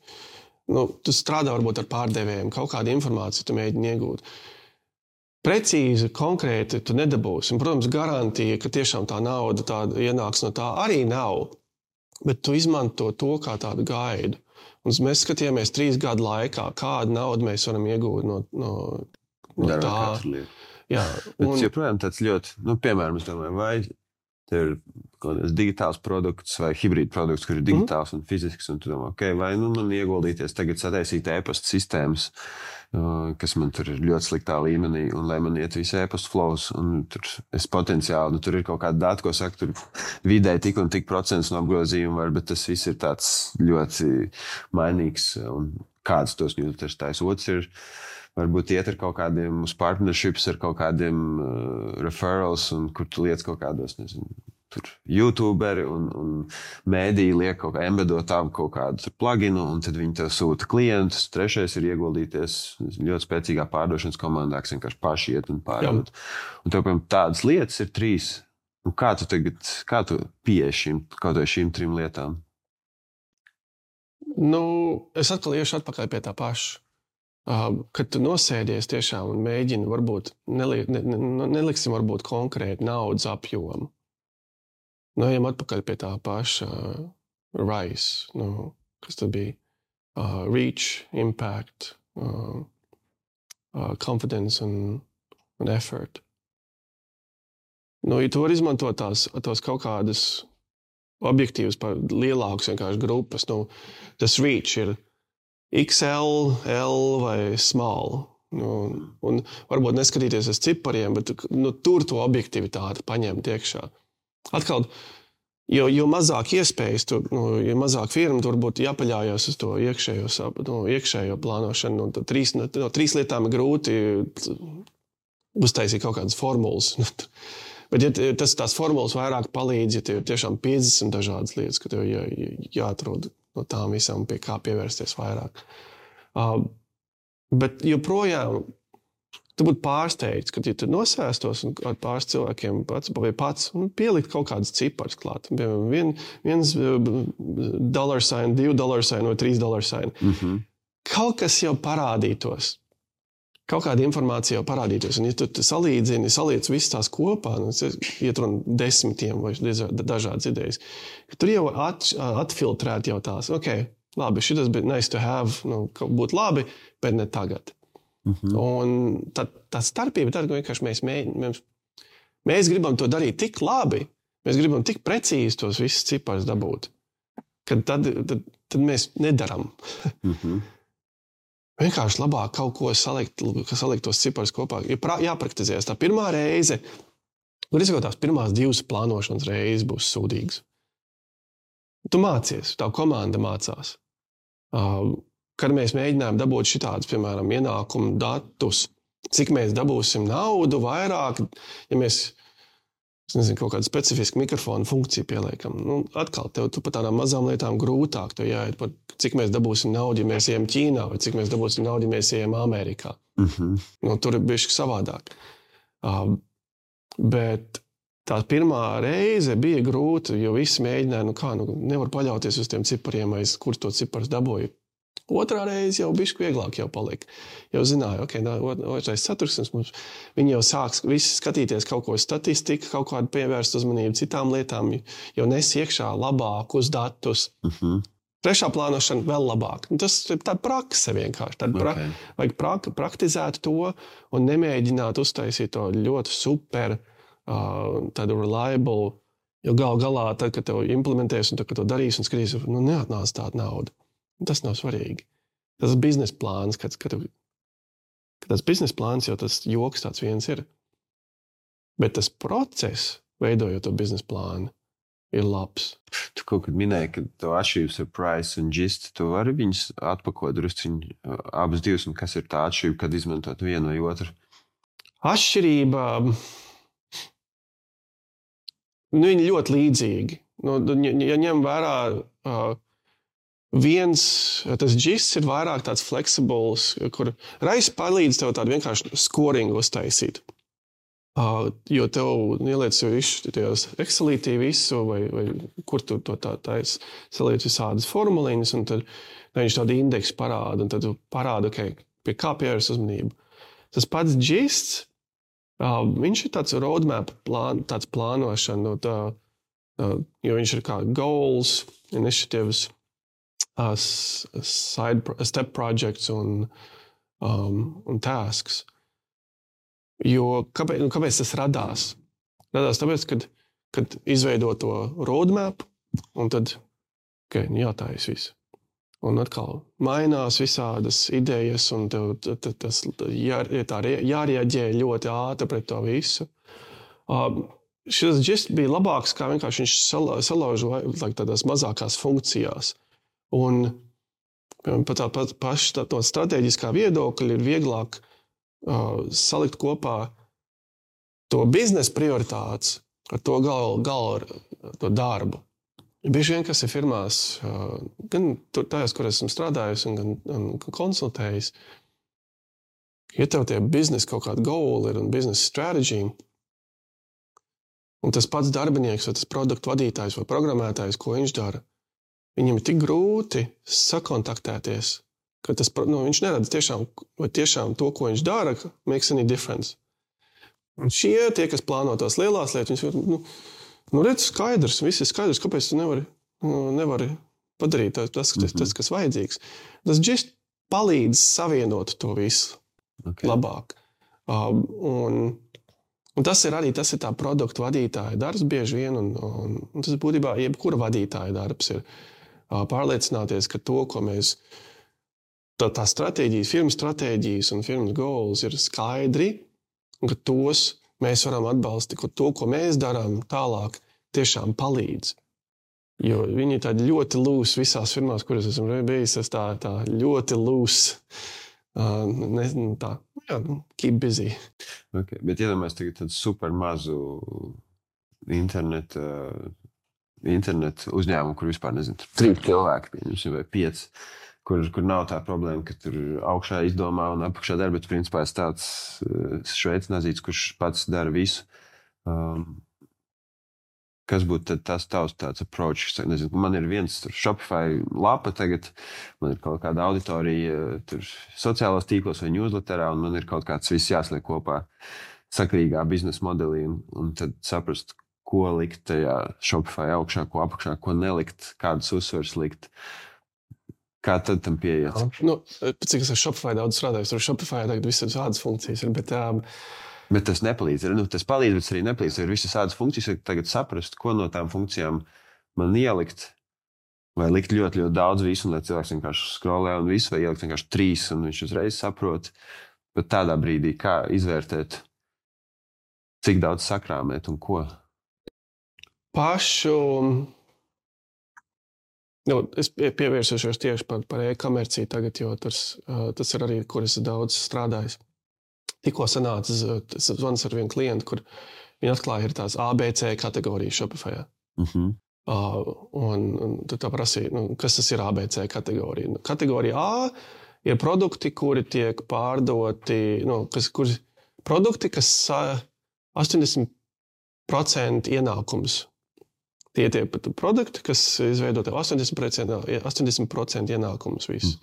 Tu strādā varbūt ar pārdevējiem, kaut kādu informāciju tu mēģini iegūt. Precīzi, konkrēti tu nedabūsi. Un, protams, garantija, ka tiešām tā nauda tāda ienāks no tā arī nav. Bet tu izmanto to kā tādu gaidu. Un mēs skatījāmies 3 gadu laikā, kādu naudu mēs varam iegūt no tā. Jā, bet joprojām tāds ļoti, piemēram, es domāju, vai tev ir kaut kāds digitāls produkts vai hibrīd produkts, kur ir digitāls un fizisks, un tu domā, vai man ieguldīties tagad sataisīt e-pasta sistēmas, kas man tur ir ļoti sliktā līmenī, un lai man iet visi e-pasta flows, un tur es potenciāli, tur ir kaut kāda data, ko saka, tur vidēji tik un tik procents no apgrozījuma var, bet tas viss ir tāds ļoti mainīgs, un kāds tos newsletters tais. Otrs ir, varbūt iet ar kaut kādiem uz partnerships, ar kaut kādiem referrals, un kur tu liec kaut kādos, tur YouTuberi un mēdīji liek kaut kā embedotām kaut kādu pluginu, un tad viņi tev sūta klientus. Trešais ir ieguldīties ļoti spēcīgā pārdošanas komandā, kas vienkārši paši iet un pārdot. Un tev, piemēram, tādas lietas ir 3. Un kā tu pieeji kaut vai šīm 3 lietām? Es atkal iešu atpakaļ pie tā paša. Kad tu nosēdies tiešām un mēģini, varbūt neliksim varbūt konkrēti naudas apjomu. Ejam atpakaļ pie tā paša RISE, kas tad bija reach, impact, confidence un effort. Ja tu vari izmantot tos kaut kādas objektīvas par lielākas vienkārši grupas, tas reach ir XL, L vai small. Un varbūt neskatīties uz cipariem, bet tur to objektivitāti paņemt iekšā. Atkal, jo mazāk iespējas, jo mazāk firma, tur būtu jāpaļājās uz to iekšējo plānošanu. No 3 lietām ir grūti uztaisīt kaut kādas formulas. Bet ja tās formulas vairāk palīdz, ja tev ir tiešām 50 dažādas lietas, ka tev jāatrod no tām visām, pie kā pievērsties vairāk. Bet joprojām tu būtu pārsteigts, kad ja tu nosēstos un ar pāris cilvēkiem pats pielikt kaut kādas ciparas klāt. Piemēram, $1 $2 vai $3. Kaut kas jau parādītos. Kaut kāda informācija jau parādītos. Un ja tu saliec visas tās kopā, iet runa 10 vai dažādas idejas, tur jau atfiltrēt jau tās. Labi, šitas bija nice to have, būtu labi, bet ne tagad. Un tā starpība tad, ka vienkārši mēs gribam to darīt tik labi, mēs gribam tik precīzi tos visus ciparus dabūt, ka tad mēs nedaram. Vienkārši labāk kaut ko salikt tos ciparus kopā. Jāpraktizējas. Tā pirmā reize, tās pirmās 2 plānošanas reizes būs sūdīgas. Tu mācies, tā komanda mācās. Kad mēs mēģinājām dabūt šitādus, piemēram, ienākumu datus, cik mēs dabūsim naudu vairāk, ja mēs, kaut kādu specifisku mikrofonu funkciju pieliekam. Atkal, tu par tādām mazām lietām grūtāk, tev jāiet par cik mēs dabūsim naudu, ja mēs ejam Ķīnā, vai cik mēs dabūsim naudu, ja mēs ejam Amerikā. Tur ir bišķi savādāk. Bet tā pirmā reize bija grūta, jo visi mēģināja, nevar paļauties uz tiem cipariem, vai kur to ciparus dabūju. Otrā reize jau bišķi vieglāk jau palika. Jau zināja, otrais ceturksnis mums, viņi jau sāks visi skatīties kaut ko statistiku, kaut kādu pievērst uzmanību citām lietām, jau nes iekšā labākus datus. Trešā plānošana vēl labāk. Tas ir tāda prakse vienkārši. Vajag praktizēt to un nemēģināt uztaisīt to ļoti super, tādu reliable, jo galā, tad, kad tev implementēs un tad, kad to darīs un skatīs, neatnāc tāda nauda. Tas nav svarīgi. Tas biznesa plāns, kad tas biznesa plāns jau tas joks tāds viens ir. Bet tas process, veidojot to biznesa plānu, ir labs. Tu kaut kad minēji, ka to atšķirības ar price un gist, tu vari viņus atpakot drusciņu abas divas, un kas ir tā atšķirība, kad izmantot vienu vai otru? Atšķirība, viņi ļoti līdzīgi. Ja ņem vērā tas gists ir vairāk tāds flexibles, kur Rais palīdz tev tādu vienkārši scoringu uztaisīt. Jo tev ieliec jau tajos Excelītī visu, vai kur tu to taisi, saliec visādas formuliņas, un tad viņš tādu indeksu parāda, un tad tu parāda, pie kā pievērs uzmanību. Tas pats gists, viņš ir tāds roadmap, tāds plānošana, jo viņš ir kā goals, initiatives, step projects un tasks. Jo kāpēc tas radās? Radās tāpēc, kad izveido to roadmap, un tad, jātājas viss. Un atkal mainās visādas idejas, un tas jārieģē ļoti ātri pret to visu. Šis gist bija labāks, kā vienkārši viņš salauž tādās mazākās funkcijās. Un pat to strateģiskā viedokļa ir vieglāk salikt kopā to biznesa prioritātes ar to to darbu. Bieži vien, kas ir firmās, gan tajās, kur esmu strādājis un gan konsultējis, ja tev tie biznesa kaut kāda goal ir un biznesa stratēģija, un tas pats darbinieks vai tas produktu vadītājs vai programmētājs, ko viņš dara, viņam ir tik grūti sakontaktēties, ka viņš neredz tiešām to, ko viņš dara, makes any difference. Un tie, kas plāno tās lielās lietas, viņi redz skaidrs, viss ir skaidrs, kāpēc tu nevari padarīt tas, kas vajadzīgs. Tas gist palīdz savienot to visu labāk. Un tas ir tā produktu vadītāja darbs bieži vien, un tas būtībā jebkura vadītāja darbs ir pārliecināties, ka to, tā stratēģijas, firmas stratēģijas un firmas goals ir skaidri, un ka tos mēs varam atbalstīt, ka to, ko mēs darām tālāk, tiešām palīdz. Jo viņi ir tādi ļoti lūs visās firmās, kuras esmu bijis, tā ļoti lūs. Keep busy. Okay, bet iedomājies tagad tādu super mazu internetu uzņēmumu, kur vispār, nezinu, 3 cilvēki, pieņemsim, vai 5, kur nav tā problēma, ka tur augšā izdomā un apakšā dara, bet principā es tāds šveicis nazīts, kurš pats dara visu. Kas būtu tas tavs tāds approach? Nezinu, man ir viens Shopify lapa tagad, man ir kaut kāda auditorija tur sociālos tīklos vai newsletterā, un man ir kaut kāds viss jāsliek kopā sakarīgā biznesa modelī, un tad saprast, ko likt tajā Shopify augšā, ko apakšā, ko nelikt, kādas uzsvars likt. Kā tad tam pieiet? Cik es ar Shopify daudz strādāju, tur Shopify tagad visas tādas funkcijas ir, Bet tas nepalīdz. Tas palīdz, bet arī nepalīdz. Ir visas tādas funkcijas, ka tagad saprast, ko no tām funkcijām man ielikt, vai likt ļoti, ļoti daudz visu, un lai cilvēks vienkārši scrollē un visu, vai ielikt vienkārši 3, un viņš uzreiz saprot. Bet tādā brīdī, kā izvērtēt, cik daudz sakrāmēt un ko? Es pievērsušos tieši par e-komerciju tagad, jo tas ir arī, kur es daudz strādājis. Tikko sanāca zvans ar vienu klientu, kur viņi atklāja ir tās ABC kategorijas Shopify. Un tad tā prasīja, kas tas ir ABC kategorija? Kategorija A ir produkti, kuri tiek pārdoti, produkti, kas 80% ienākums. Tie produkti, kas izveido 80% ienākumus visu.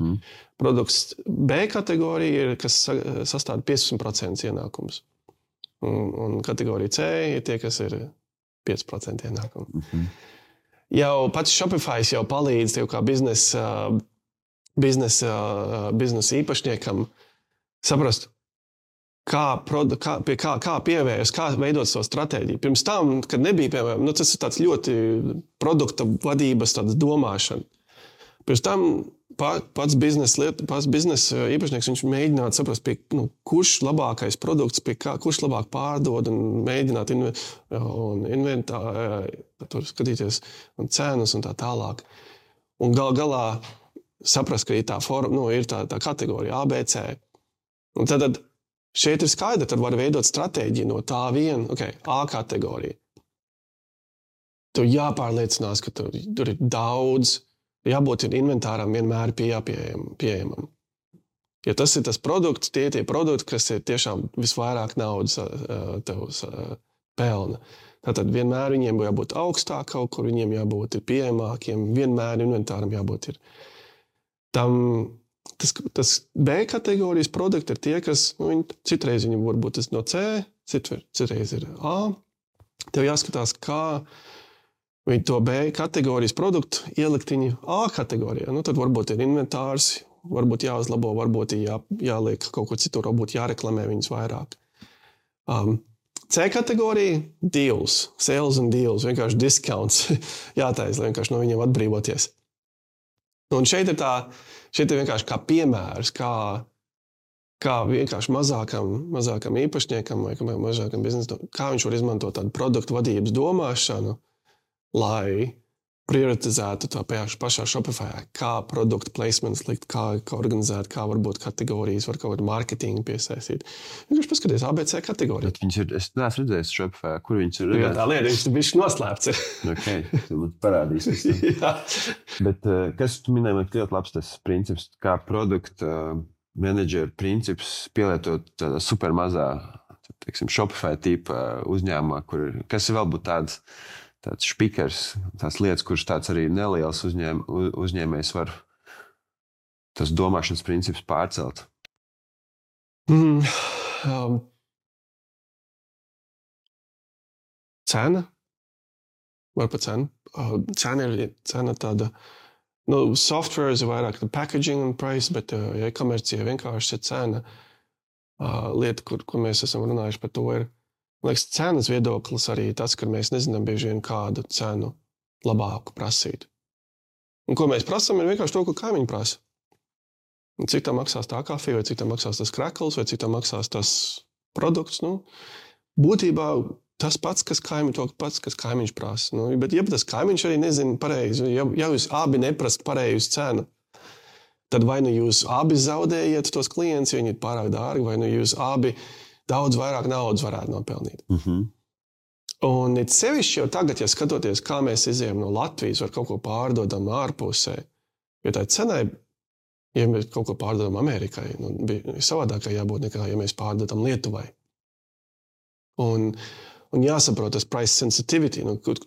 Produkts B kategorija ir, kas sastāv 15% ienākums. Un kategorija C ir tie, kas ir 5% ienākumu. Jau pats Shopify jau palīdz tev kā biznesa īpašniekam saprast, kā pievērst, kā veidot savu stratēģiju. Pirms tam, kad nebija, piemēram, tas ir tāds ļoti produkta vadības tāds domāšana. Pirms tam pats biznesa īpašnieks, viņš mēģinātu saprast, kurš labākais produkts, kurš labāk pārdod un mēģināt skatīties un cenas un tā tālāk. Un galā saprast, ka ir tā kategorija ABC. Un tad šeit ir skaidra, tad var veidot stratēģiju no tā viena, A kategorija. Tev jāpārliecinās, ka tur ir daudz, jābūt inventāram vienmēr pieejamam. Ja tas ir tas produkts, tie produkti, kas ir tiešām visvairāk naudas tev pelna. Tātad vienmēr viņiem jābūt augstāk kaut kur, viņiem jābūt pieejamākiem, vienmēr inventāram jābūt ir. Tas B kategorijas produkti ir tie, kas, citreiz viņi varbūt no C, citreiz ir A. Tev jāskatās, kā viņi to B kategorijas produktu ielikt viņu A kategorijā. Tad varbūt ir inventārs, varbūt jāuzlabo, varbūt jāliek kaut ko citur, varbūt jāreklamē viņus vairāk. C kategorija – deals, sales and deals, vienkārši discounts jātaisa, lai vienkārši no viņiem atbrīvoties. Un šeit ir vienkārši kā piemērs, kā vienkārši mazākam īpašniekam vai mazākam biznesam, kā viņš var izmantot tādu produktu vadības domāšanu, lai prioritizētu tā pašā Shopify, kā produktu placements likt, kā organizēt, kā varbūt kategorijas, var kaut kādu marketingu piesaistīt. Vienkārši paskaties ABC kategoriju. Es neesmu redzējis Shopify, kur viņš ir redzējis. Tā lieta, viņš bišķi noslēpts ir. Tu man parādīsi. Bet kas tu minēji, man ļoti labs tas princips, kā produkta menedžera princips pielietot tādā super mazā, Shopify tipa uzņēmumā, kas vēl būtu tāds špikers, tās lietas, kurš tāds arī neliels uzņēmējs var tas domāšanas princips pārcelt? Cena? Var pa cenu. Cena tāda, software ir vairāk packaging un price, bet e-komercija vienkārši ir cena. Lieta, kur mēs esam runājuši par to ir, man liekas, cenas viedoklis arī tas, ka mēs nezinām bieži vien kādu cenu labāku prasīt. Un ko mēs prasām, ir vienkārši to, ko kaimiņi prasa. Un cik tā maksās tā kafija, vai cik tā maksās tas krekls, vai cik tā maksās tas produkts. Nu, būtībā tas pats, kas kaimiņš prasa. Nu, bet ja tas kaimiņš arī nezina pareizi, ja jūs abi neprast pareizu cenu, tad vai nu jūs abi zaudējiet tos klientus, ja viņi ir pārāk dārgi, vai nu jūs abi daudz vairāk naudas varētu nopelnīt. Un it sevišķi jau tagad, ja skatoties, kā mēs izejam no Latvijas, var kaut ko pārdodam ārpusē, jo tā cenai, ja mēs kaut ko pārdodam Amerikai, bija savādākai jābūt nekā, ja mēs pārdodam Lietuvai. Un jāsaprot tas price sensitivity,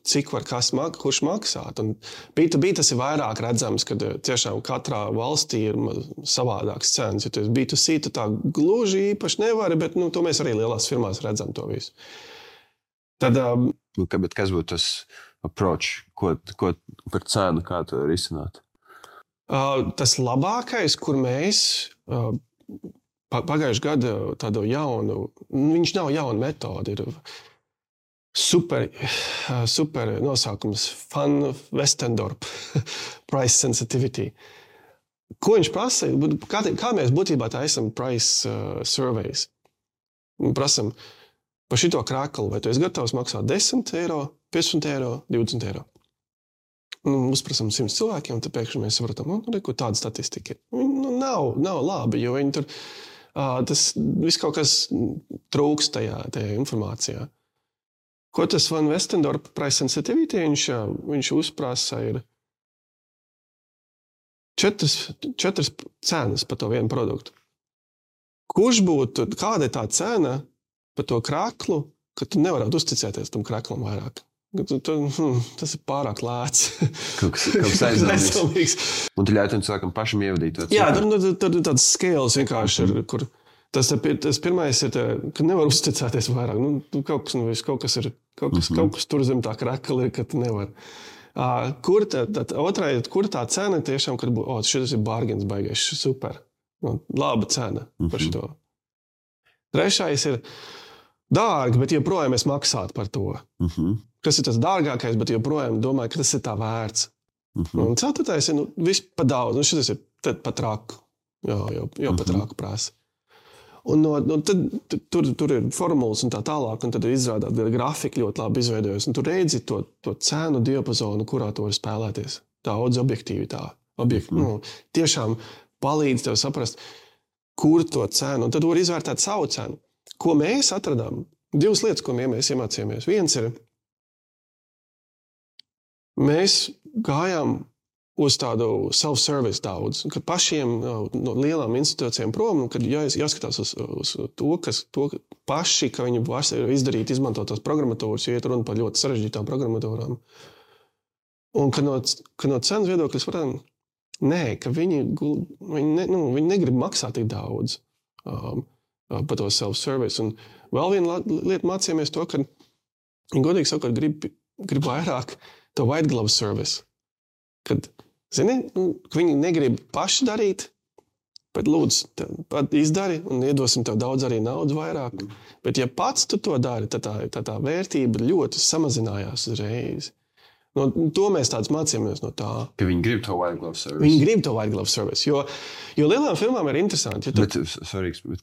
cik var kurš maksāt. Un B2B tas ir vairāk redzams, kad tiešām katrā valstī ir savādāks cenas. Ja tu esi B2C, tu tā gluži īpaši nevari, bet to mēs arī lielās firmās redzam to visu. Tad, bet kas būtu tas approach, ko par cenu, kā to risināt? Tas labākais, kur mēs pagājuši gadu tādu jaunu, viņš nav jauna metode, ir super nosaukums Van Westendorp price sensitivity. Ko viņš prasa? Kā mēs būtībā tā esam price surveys? Prasam par šito kreklu, vai tu esi gatavs maksāt 10 eiro, 15 eiro, 20 eiro. Uzprasam 100 cilvēkiem, tad pēkšņi mēs saprotam, ko tāda statistika ir. Nav labi, jo viņi tur, tas viss kaut kas trūks tajā informācijā. Ko tas Van Westendorp price sensitivity, viņš uzprasa ir 4 cenas par to vienu produktu. Kāda ir tā cena par to kreklu, ka tu nevarētu uzticēties tam kreklam vairāk? Tas ir pārāk lēts. Kaut kas aizdomīgs. Un tu ļauj tam cilvēkam pašam ievadīt to. Jā, tad ir tāds scales vienkārši, kur tas pirmais ir, ka nevar uzticēties vairāk. Kaut kas tur zem tā krekla ir, ka tu nevar. Kur tā cena tiešām, kad šis ir bargains baigais, super. Laba cena par šito. Trešais ir dārgi, bet joprojām es maksātu par to. Kas ir tas dārgākais, bet joprojām domāju, ka tas ir tā vērts. Un ceturtais ir viss pa daudz. Šis ir pa traku. Jau pa traku prasa. Un tad tur ir formulas un tā tālāk, un tad izrādāt grafika ļoti labi izveidojas. Un tu redzi to cenu diapazonu, kurā tu vari spēlēties. Daudz objektīvi tā. Tiešām palīdz tev saprast, kur to cenu. Un tad var izvērtēt savu cenu. Ko mēs atradām? 2 lietas, ko mēs iemācījāmies. Viens ir, mēs gājām uz tādu self-service daudz, kad pašiem no lielām institūcijām prom, kad jāskatās uz to paši, ka viņi var izdarīt, izmantot tās programmatūras, jo iet runa par ļoti sarežģītām programmatūrām. Un kad no cenas viedokļa varam, ka viņi negrib maksāt tik daudz par to self-service. Un vēl viena lieta mācījāmies to, ka viņi godīgi sakot grib vairāk to white glove service. Kad, ka viņi negrib paši darīt, bet lūdzu, izdari un iedosim tev daudz arī naudas vairāk. Bet ja pats tu to dari, tad tā vērtība ļoti samazinājās uzreiz. To mēs tāds mācījāmies no tā. Ka viņi grib to white glove service. Viņi grib to white glove service, jo lielām firmām ir interesanti. Bet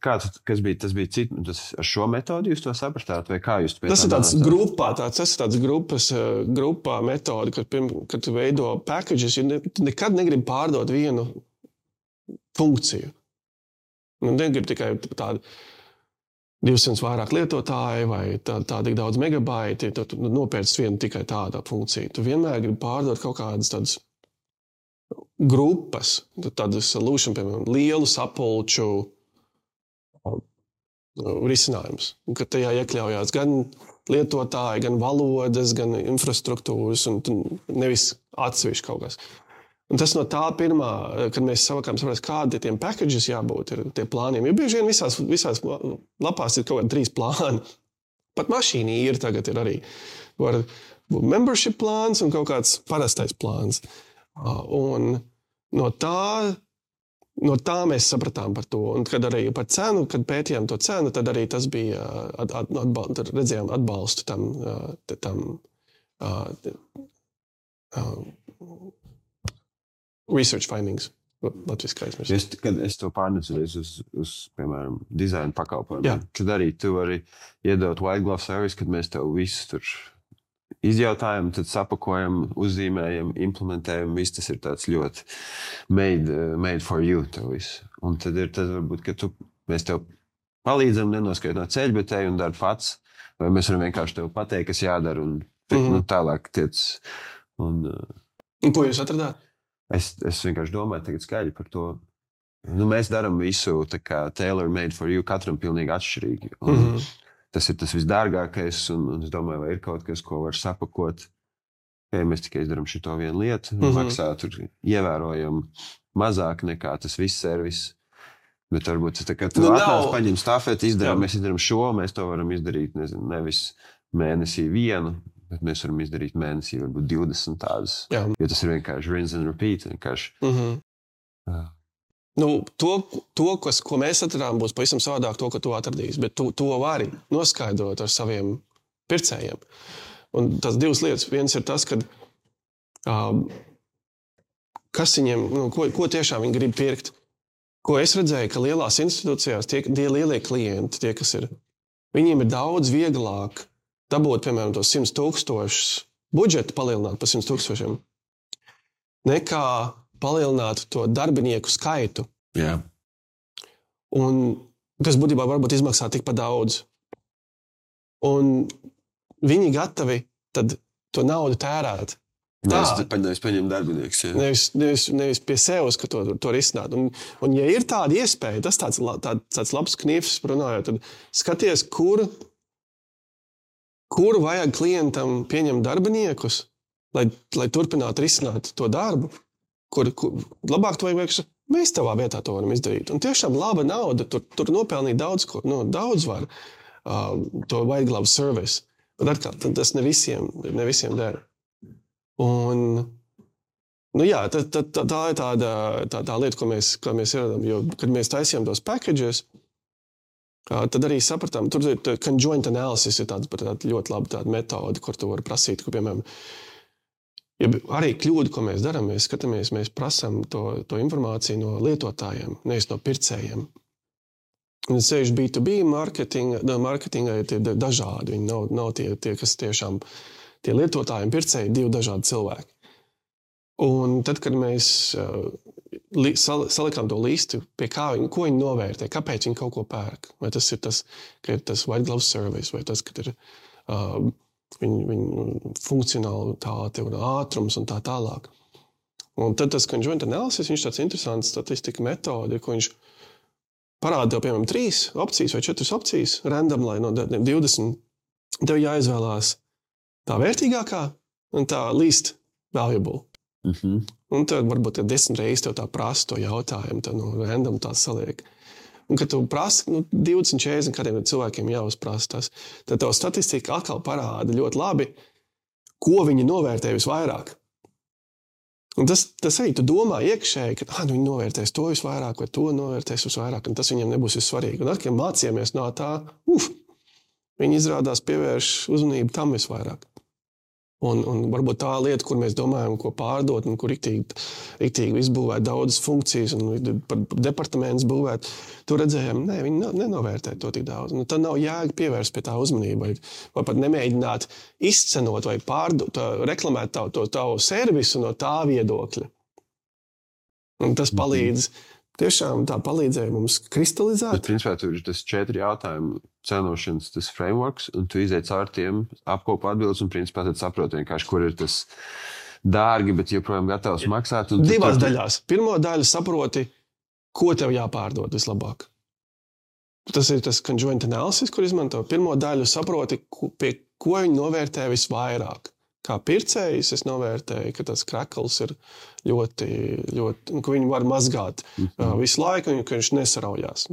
kas bija? Tas bija tas ar šo metodu jūs to sapratāt, vai kā jūs to tas ir tāds grupā, tas ir tāds grupā metodi, kad tu veido packages, tu nekad negribi pārdot vienu funkciju. Negribi tikai tādu 200 vairāk lietotāji vai tā tik daudz megabaiti, tad nopērc vienu tikai tādu funkciju. Tu vienmēr gribi pārdot kaut kādas tādas grupas, tādas solution, piemēram, lielu sapulču risinājums. Kad tajā iekļaujās gan lietotāji, gan valodas, gan infrastruktūras, un nevis atsevišķi kaut kas. Un tas no tā pirmā, kad mēs savākām saprast, kādi tiem packages jābūt, ir tie plāniem. Jo bieži vien visās lapās ir kaut kādi 3 plāni. Pat mašīnī tagad ir arī. Var būt membership plāns un kaut kāds parastais plāns. Un no tā mēs sapratām par to. Un kad arī par cenu, kad pētījām to cenu, tad arī tas bija, tad redzējām atbalstu tam research findings. latviski aizmirst. Kad es to pārnesu uz, piemēram, dizaina pakalpojumiem, Jā. tad arī tu vari iedot white glove service, kad mēs tev visus tur izjautājam, tad sapakojam, uzzīmējam, implementējam. Viss tas ir tāds ļoti made for you tev viss. Un tad varbūt, ka mēs tev palīdzam nenoskaitot ceļu, bet te un dari pats. Vai mēs varam vienkārši tev pateikt, kas jādara un tālāk tiec. Un ko jūs atradāt? Es vienkārši domāju tagad skaļi par to. Mēs darām visu tā kā tailor made for you, katram pilnīgi atšķirīgi. Un tas ir tas visdārgākais, un es domāju, vai ir kaut kas, ko var sapakot. Ja mēs tikai izdarām šito vienu lietu, maksā tur ievērojam mazāk nekā tas viss servis. Bet varbūt tas tā kā tu atnāc, paņem stafeti, mēs izdarām šo, mēs to varam izdarīt, nevis mēnesī vienu, bet mēs varam izdarīt mēnesī varbūt 20 tādas. Jā. Jo tas ir vienkārši rinse and repeat. Ko mēs atradām, būs pavisam savādāk to, ko tu atradīsi. Bet to vari noskaidrot ar saviem pircējiem. Un tās divas lietas. Viens ir tas, ka kas viņiem, ko tiešām viņi grib pirkt. Ko es redzēju, ka lielās institūcijās tie lielie klienti, tie, kas ir, viņiem ir daudz vieglāk dabūt, piemēram, tos 100,000 budžetu palielināt par 100,000, nekā palielināt to darbinieku skaitu. Jā. Un kas būtībā varbūt izmaksā tikpat daudz. Un viņi gatavi tad to naudu tērēt. Nevis paņem darbinieks. Nevis pie sevis, ka to risināt. Un ja ir tāda iespēja, tas tāds labs kniefs runājot, tad skaties, kur vajag klientam pieņemt darbiniekus, lai turpinātu risināt to darbu, kur labāk to vajag, mēs tavā vietā to varam izdarīt. Un tiešām laba nauda, tur nopelnīt daudz ko, daudz var to white glove service. Bet atkal, tas ne visiem dara. Un, jā, tā ir tā lieta, ko mēs ieradām, jo, kad mēs taisījām tos packages, tad arī sapratām, tur ir conjoint analysis ir tāda ļoti laba tāda metode, kur tu vari prasīt, ka, piemēram, ja arī kļūdu, ko mēs darām, mēs skatāmies, mēs prasām to informāciju no lietotājiem, nevis no pircējiem. Un sevišķi B2B marketingā ir tie dažādi, viņi nav tie, kas tiešām tie lietotāji un pircēji divi dažādi cilvēki. Un tad, kad mēs salikām to listu, ko viņi novērtē, kāpēc viņi kaut ko pērk, vai tas ir tas, ka ir tas white glove service, vai tas, ka ir viņu funkcionalitāte un ātrums un tā tālāk. Un tad tas conjoint analysis, viņš tāds interesants statistika metode, ko viņš parāda tev, piemēram, 3 opcijas vai 4 opcijas, random, lai no 20, tev jāizvēlās tā vērtīgākā un tā least valuable. Un tad varbūt 10 reizes tev tā prasa to jautājumu, tad random tā saliek. Un kad tu prasi 20-40 kādiem cilvēkiem jāuzprasa tas, tad tev statistika atkal parāda ļoti labi, ko viņi novērtē visvairāk. Un tas arī tu domā iekšēji, ka viņi novērtēs to visvairāk vai to novērtēs visvairāk, un tas viņiem nebūs vissvarīgi. Un atkal mācījāmies no tā, viņi izrādās pievērš uzmanību tam visvairāk. Un varbūt tā lieta, kur mēs domājam, ko pārdot un kur riktīgi izbūvēt daudzas funkcijas un par departamentus būvēt, tur redzējām, viņi nenovērtē to tik daudz. Tad nav jēga pievērst pie tā uzmanību vai pat nemēģināt izcenot vai pārdot, reklamēt tavu servisu no tā viedokļa. Un tas palīdz, tiešām tā palīdzēja mums kristalizēt. Bet principā tur ir tas 4 jautājumu cenošanas, tas frameworks, un tu iziet caur tiem, apkopo atbildes, un principā tad saproti vienkārši, kur ir tas dārgi, bet joprojām gatavs maksāt. Divās daļās. Pirmo daļu saproti, ko tev jāpārdod vislabāk. Tas ir tas conjoint analysis, kur izmanto. Pirmo daļu saproti, pie ko viņi novērtē visvairāk. Kā pircējs es novērtēju, ka tas krekls ir ļoti, ka viņi var mazgāt visu laiku, un ka viņš nesaraujās.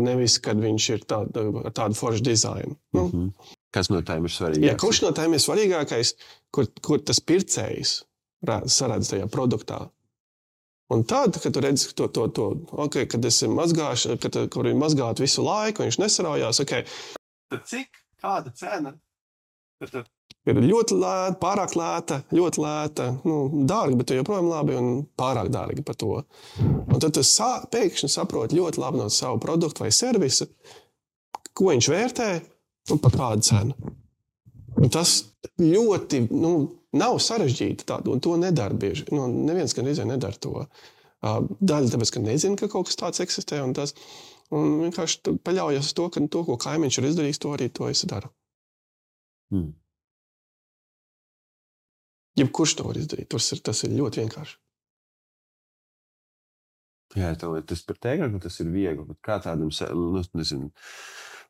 Nevis, kad viņš ir tādu foršu dizainu. Kas no tām ir svarīgākais? Jā, kurš no tām ir svarīgākais, kur tas pircējs saredz tajā produktā. Un tad, kad tu redzi kad es mazgāšu, kur viņi mazgāt visu laiku, viņš nesaraujās, tad cik, kāda cena? ir ļoti lēta, pārāk lēta, ļoti lēta, dārga, bet joprojām labi un pārāk dārga par to. Un tad tu pēkšņi saproti ļoti labi no savu produktu vai servisu, ko viņš vērtē un par kādu cenu. Un tas ļoti, nav sarežģīti tādu, un to nedara bieži. Neviens gan nedara to. Daļa tāpēc, ka nezina, ka kaut kas tāds eksistē, un vienkārši paļaujas uz to, ka to, ko kaimiņš ir izdarījis, to arī to es daru. Jebkurš to var izdarīt, tas ir ļoti vienkārši. Jā, tas par teikt, ka tas ir viegli, bet kā tādam,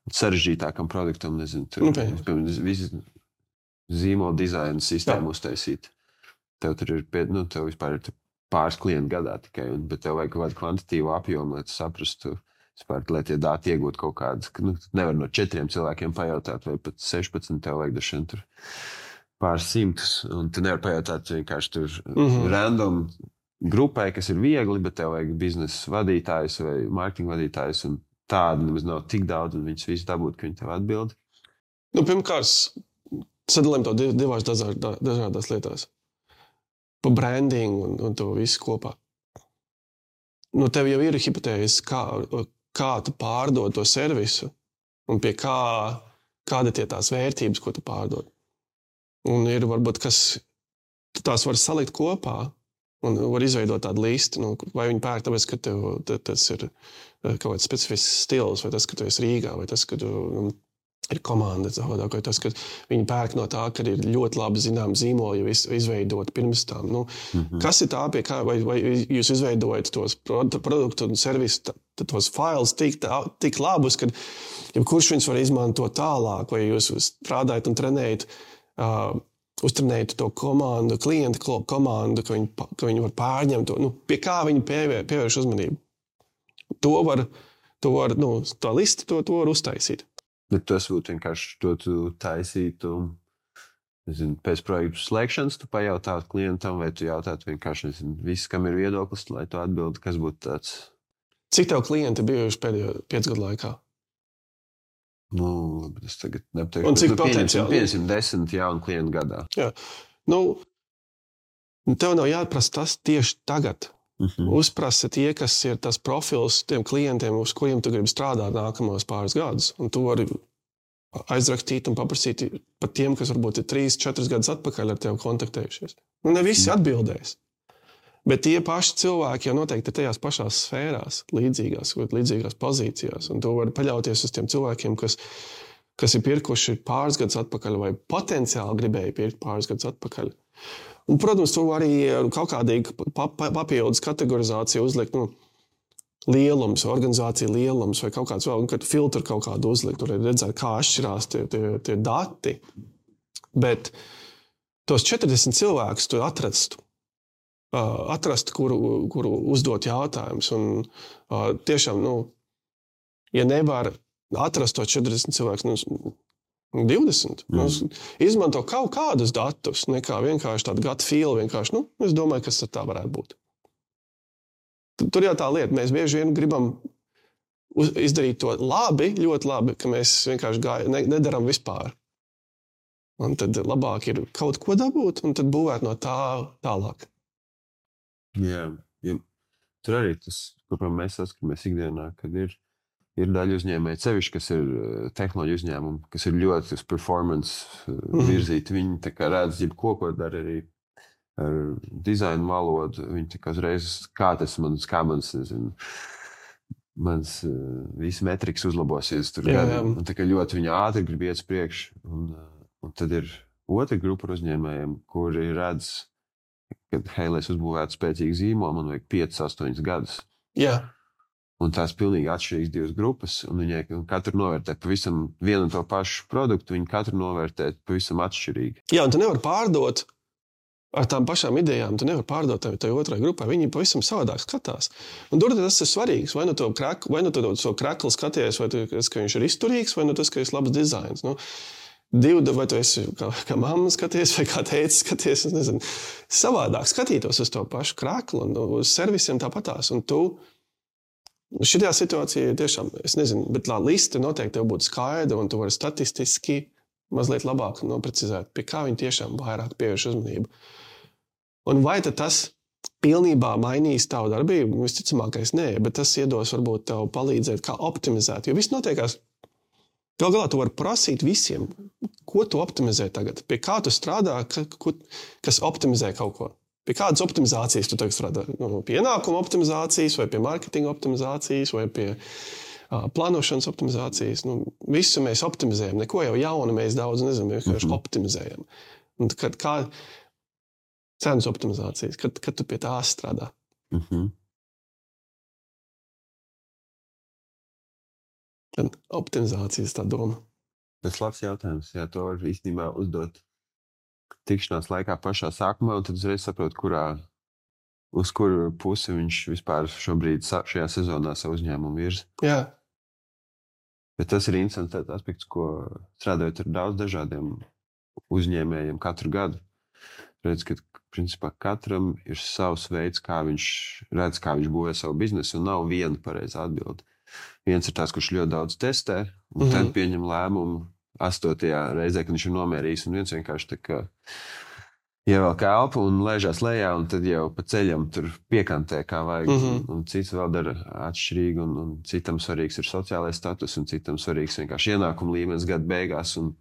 sarežģītākam produktam, visi zīmola dizaina sistēmu uztaisīt. Tev tur ir, tev vispār ir pāris klienti gadā tikai, bet tev vajag kaut kādu kvantitīvu apjomu, lai tu saprastu, lai tie dati iegūtu kaut kādas, nevar no 4 cilvēkiem pajautāt, vai pat 16 tev vajag dažiem tur pāris simtus, un tu nevar pajautāt vienkārši tur random grupai, kas ir viegli, bet tev vajag biznesa vadītājs vai mārketinga vadītājs, un tādu nemaz nav tik daudz, un viņus visi dabūt, ka viņi tev atbild. Pirmkārt, sadalījam to divās dažādās lietās. Pa brandingu un to visu kopā. Tev jau ir hipotēzes, kā tu pārdod to servisu, un pie kāda tie tās vērtības, ko tu pārdod. Un ir varbūt, kas tu tās var salikt kopā, un var izveidot tādu listi, vai viņi pērk tāpēc, ka tev tas ir kaut kāds specifisks stils, vai tas, ka tu esi Rīgā, vai tas, ka tu ir komanda, vai tas, ka viņi pērk no tā, ka ir ļoti labi zinām zīmoli jau izveidot pirms tam. Kas ir tā, pie kā, vai jūs izveidojat tos produktu un servisu, tos failus tik labus, ka kurš viņus var izmantot tālāk, vai jūs strādājat un trenējat, uztrenējat to komandu, klienta komandu, ka viņi var pārņemt to, pie kā viņi pievērš uzmanību. To var tā lista, to var uztaisīt. Bet tas būtu vienkārši to tu taisītu, pēc projektu slēgšanas tu pajautātu klientam, vai tu jautātu vienkārši, viss, kam ir viedoklis, lai tu atbildi, kas būtu tāds? Cik tev klienti bijuši pēdējo 5 gadu laikā? Es tagad nepateikšu. Un cik potenciāli? Pieņemsim 10 jaunu klientu gadā. Jā. Tev nav jāprasa tas tieši tagad. Uzprasa tie, kas ir tas profils tiem klientiem, uz kuriem tu gribi strādāt nākamos pāris gadus. Un tu vari aizrakstīt un paprasīt par tiem, kas varbūt ir 3-4 gadus atpakaļ ar tevi kontaktējušies. Ne visi atbildēs. Bet tie paši cilvēki jau noteikti ir tajās pašās sfērās, līdzīgās pozīcijās. Un tu vari paļauties uz tiem cilvēkiem, kas ir pirkuši pāris gadus atpakaļ vai potenciāli gribēja pirkt pāris gadus atpakaļ. Un, protams, tu arī kaut kādīgi papildus kategorizāciju uzlikt, lielums, organizācija lielums vai kaut kāds vēl, un kad filtru kaut kādu uzlikt, tur redzēt, kā atšķirās tie dati. Bet tos 40 cilvēkus tu atrastu, kuru uzdot jautājumus. Un tiešām, ja nevar atrast tos 40 cilvēkus, 20. Izmanto kaut kādus datus, nekā vienkārši tādu gut feel, vienkārši, es domāju, kas tā varētu būt. Tur jau tā lieta, mēs bieži vien gribam izdarīt to labi, ļoti labi, ka mēs vienkārši nedaram vispār. Un tad labāk ir kaut ko dabūt, un tad būvēt no tā tālāk. Jā. Tur arī tas, ko mēs saskaramies ikdienā, kad ir daļa uzņēmēji sevišķi, kas ir tehnoloģiju uzņēmumi, kas ir ļoti uz performance virzīti. Viņi tā kā redz, ko dara arī ar dizainu valodu. Viņi tā kā uzreiz, kā mans visi metrikas uzlabosies tur gadiem. Un tā kā ļoti viņi ātri grib iet priekš. Un tad ir otra grupa uzņēmējiem, kuri redz, ka, lai es uzbūvētu spēcīgu zīmolu, man vajag 5-8 gadus. Jā. Un tās pilnīgi atšķirīgas divas grupas, un viņi katru novērtē pavisam vienu un to pašu produktu, viņi katru novērtē pavisam atšķirīgi. Jā, un tu nevar pārdot ar tām pašām idejām, tu nevar pārdot tai otrai grupai, viņi pavisam savādāk skatās. Un tur tas ir svarīgs, vai nu to kreklu skaties, vai tas, ka viņš ir izturīgs, vai nu tas, ka ir labs dizains. Vai tu esi kā mamma skaties, vai kā tētis skaties, es nezinu. Savādāk skatītos uz to pašu kreklu un uz servisiem tāpatās, un tu šitā situācija tiešām, es nezinu, bet tā lista noteikti tev būtu skaidra, un tu vari statistiski mazliet labāk noprecizēt, pie kā viņi tiešām vairāk pievērš uzmanību. Un vai tad tas pilnībā mainīs tavu darbību? Visticamākais nē, bet tas iedos varbūt tev palīdzēt, kā optimizēt. Jo viss notiekās. Gal galā tu vari prasīt visiem, ko tu optimizē tagad, pie kā tu strādā, kas optimizē kaut ko. Pie kādas optimizācijas tu tagad strādā? Pie ienākuma optimizācijas, vai pie marketinga optimizācijas, vai pie plānošanas optimizācijas. Visu mēs optimizējam. Neko jau jaunu mēs daudz nezinām, vienkārši optimizējam. Un kā cenas optimizācijas, kad tu pie tās strādā? Tad optimizācijas tā doma. Tas labs jautājums. Jā, to var īstenībā uzdot tikšanās laikā pašā sākumā, un tad uzreiz saprot, uz kuru pusi viņš vispār šobrīd šajā sezonā savu uzņēmumu virza. Jā. Bet tas ir interesants aspekts, ko strādājot ar daudz dažādiem uzņēmējiem katru gadu. Redz, ka principā katram ir savs veids, kā viņš redz, kā viņš būvē savu biznesu, un nav viena pareizā atbilde. Viens ir tās, kurš ļoti daudz testē, un tad pieņem lēmumu 8. reizē, kad viņš ir nomērījis, un viens vienkārši tā kā ievelk elpu un lēžās lejā, un tad jau pa ceļam tur piekantē, kā vajag. Un cits vēl dara atšķirīgi, un citam svarīgs ir sociālais status, un citam svarīgs vienkārši ienākuma līmenis gada beigās. Un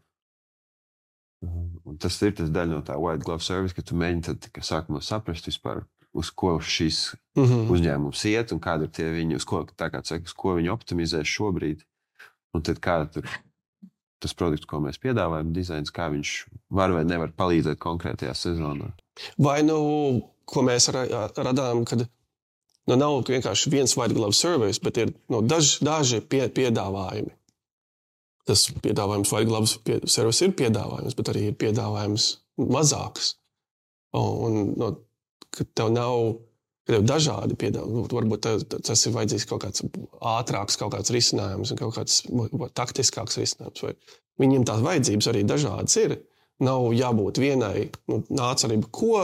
tas ir tas daļa no tā white glove service, ka tu mēģini tad sākumā saprast vispār, uz ko šis uzņēmums iet, un kādi ir tie viņi, uz ko viņi optimizē šobrīd. Un tad kā tur tas produkts, ko mēs piedāvājam, dizains, kā viņš var vai nevar palīdzēt konkrētajā sezonā. Vai ko mēs radām, kad nav vienkārši viens white glove service, bet ir daži piedāvājumi. Tas piedāvājums white glove service ir piedāvājums, bet arī ir piedāvājums mazāks. Kad tev nav dažādi piedāvājumi, varbūt tas ir vajadzīgs kaut kāds ātrāks, kaut kāds risinājums un kaut kāds taktiskāks risinājums. Vai viņiem tās vajadzības arī dažādas ir. Nav jābūt vienai, nāc arī ko,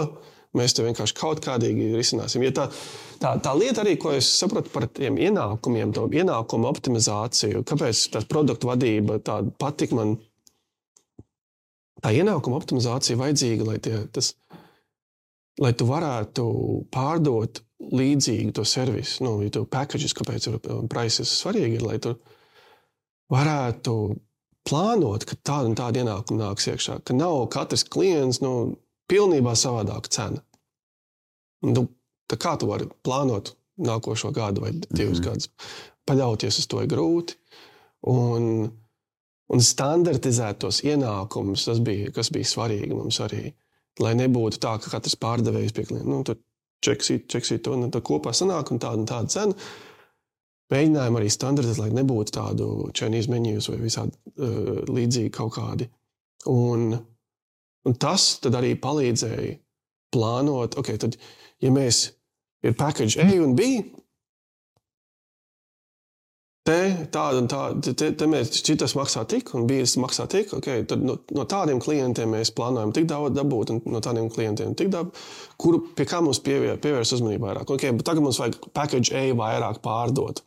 mēs te vienkārši kaut kādīgi risināsim. Ja tā lieta arī, ko es sapratu par tiem ienākumiem, to ienākumu optimizāciju, kāpēc tā produktu vadība tāda patika man, tā ienākuma optimizācija vajadzīga, lai tu varētu pārdot līdzīgi to servisu, ja tu packages, kāpēc prices svarīgi ir, lai tu varētu plānot, ka tāda un tāda ienākuma nāks iekšā, ka nav katrs klients pilnībā savādāka cena. Kā tu vari plānot nākošo gadu vai 2 gadus? Paļauties uz to ir grūti. Un standartizēt tos ienākumus, kas bija svarīgi mums arī. Lai nebūtu tā, ka katrs pārdevējs pie klienta, čeksīt to, un tad kopā sanāk un tāda cena. Mēģinājām arī standartizēt, lai nebūtu tādu Chinese menus vai visādi līdzīgi kaut kādi. Un tas tad arī palīdzēja plānot, tad, ja mēs ir package A un B, tāda un tāda, te mēs šitas maksā tik, un bijis maksā tik, tad no tādiem klientiem mēs plānojam tik daudz dabūt, un no tādiem klientiem tik dabūt, pie kā mums pievērs uzmanību vairāk. Bet tagad mums vajag package A vairāk pārdot.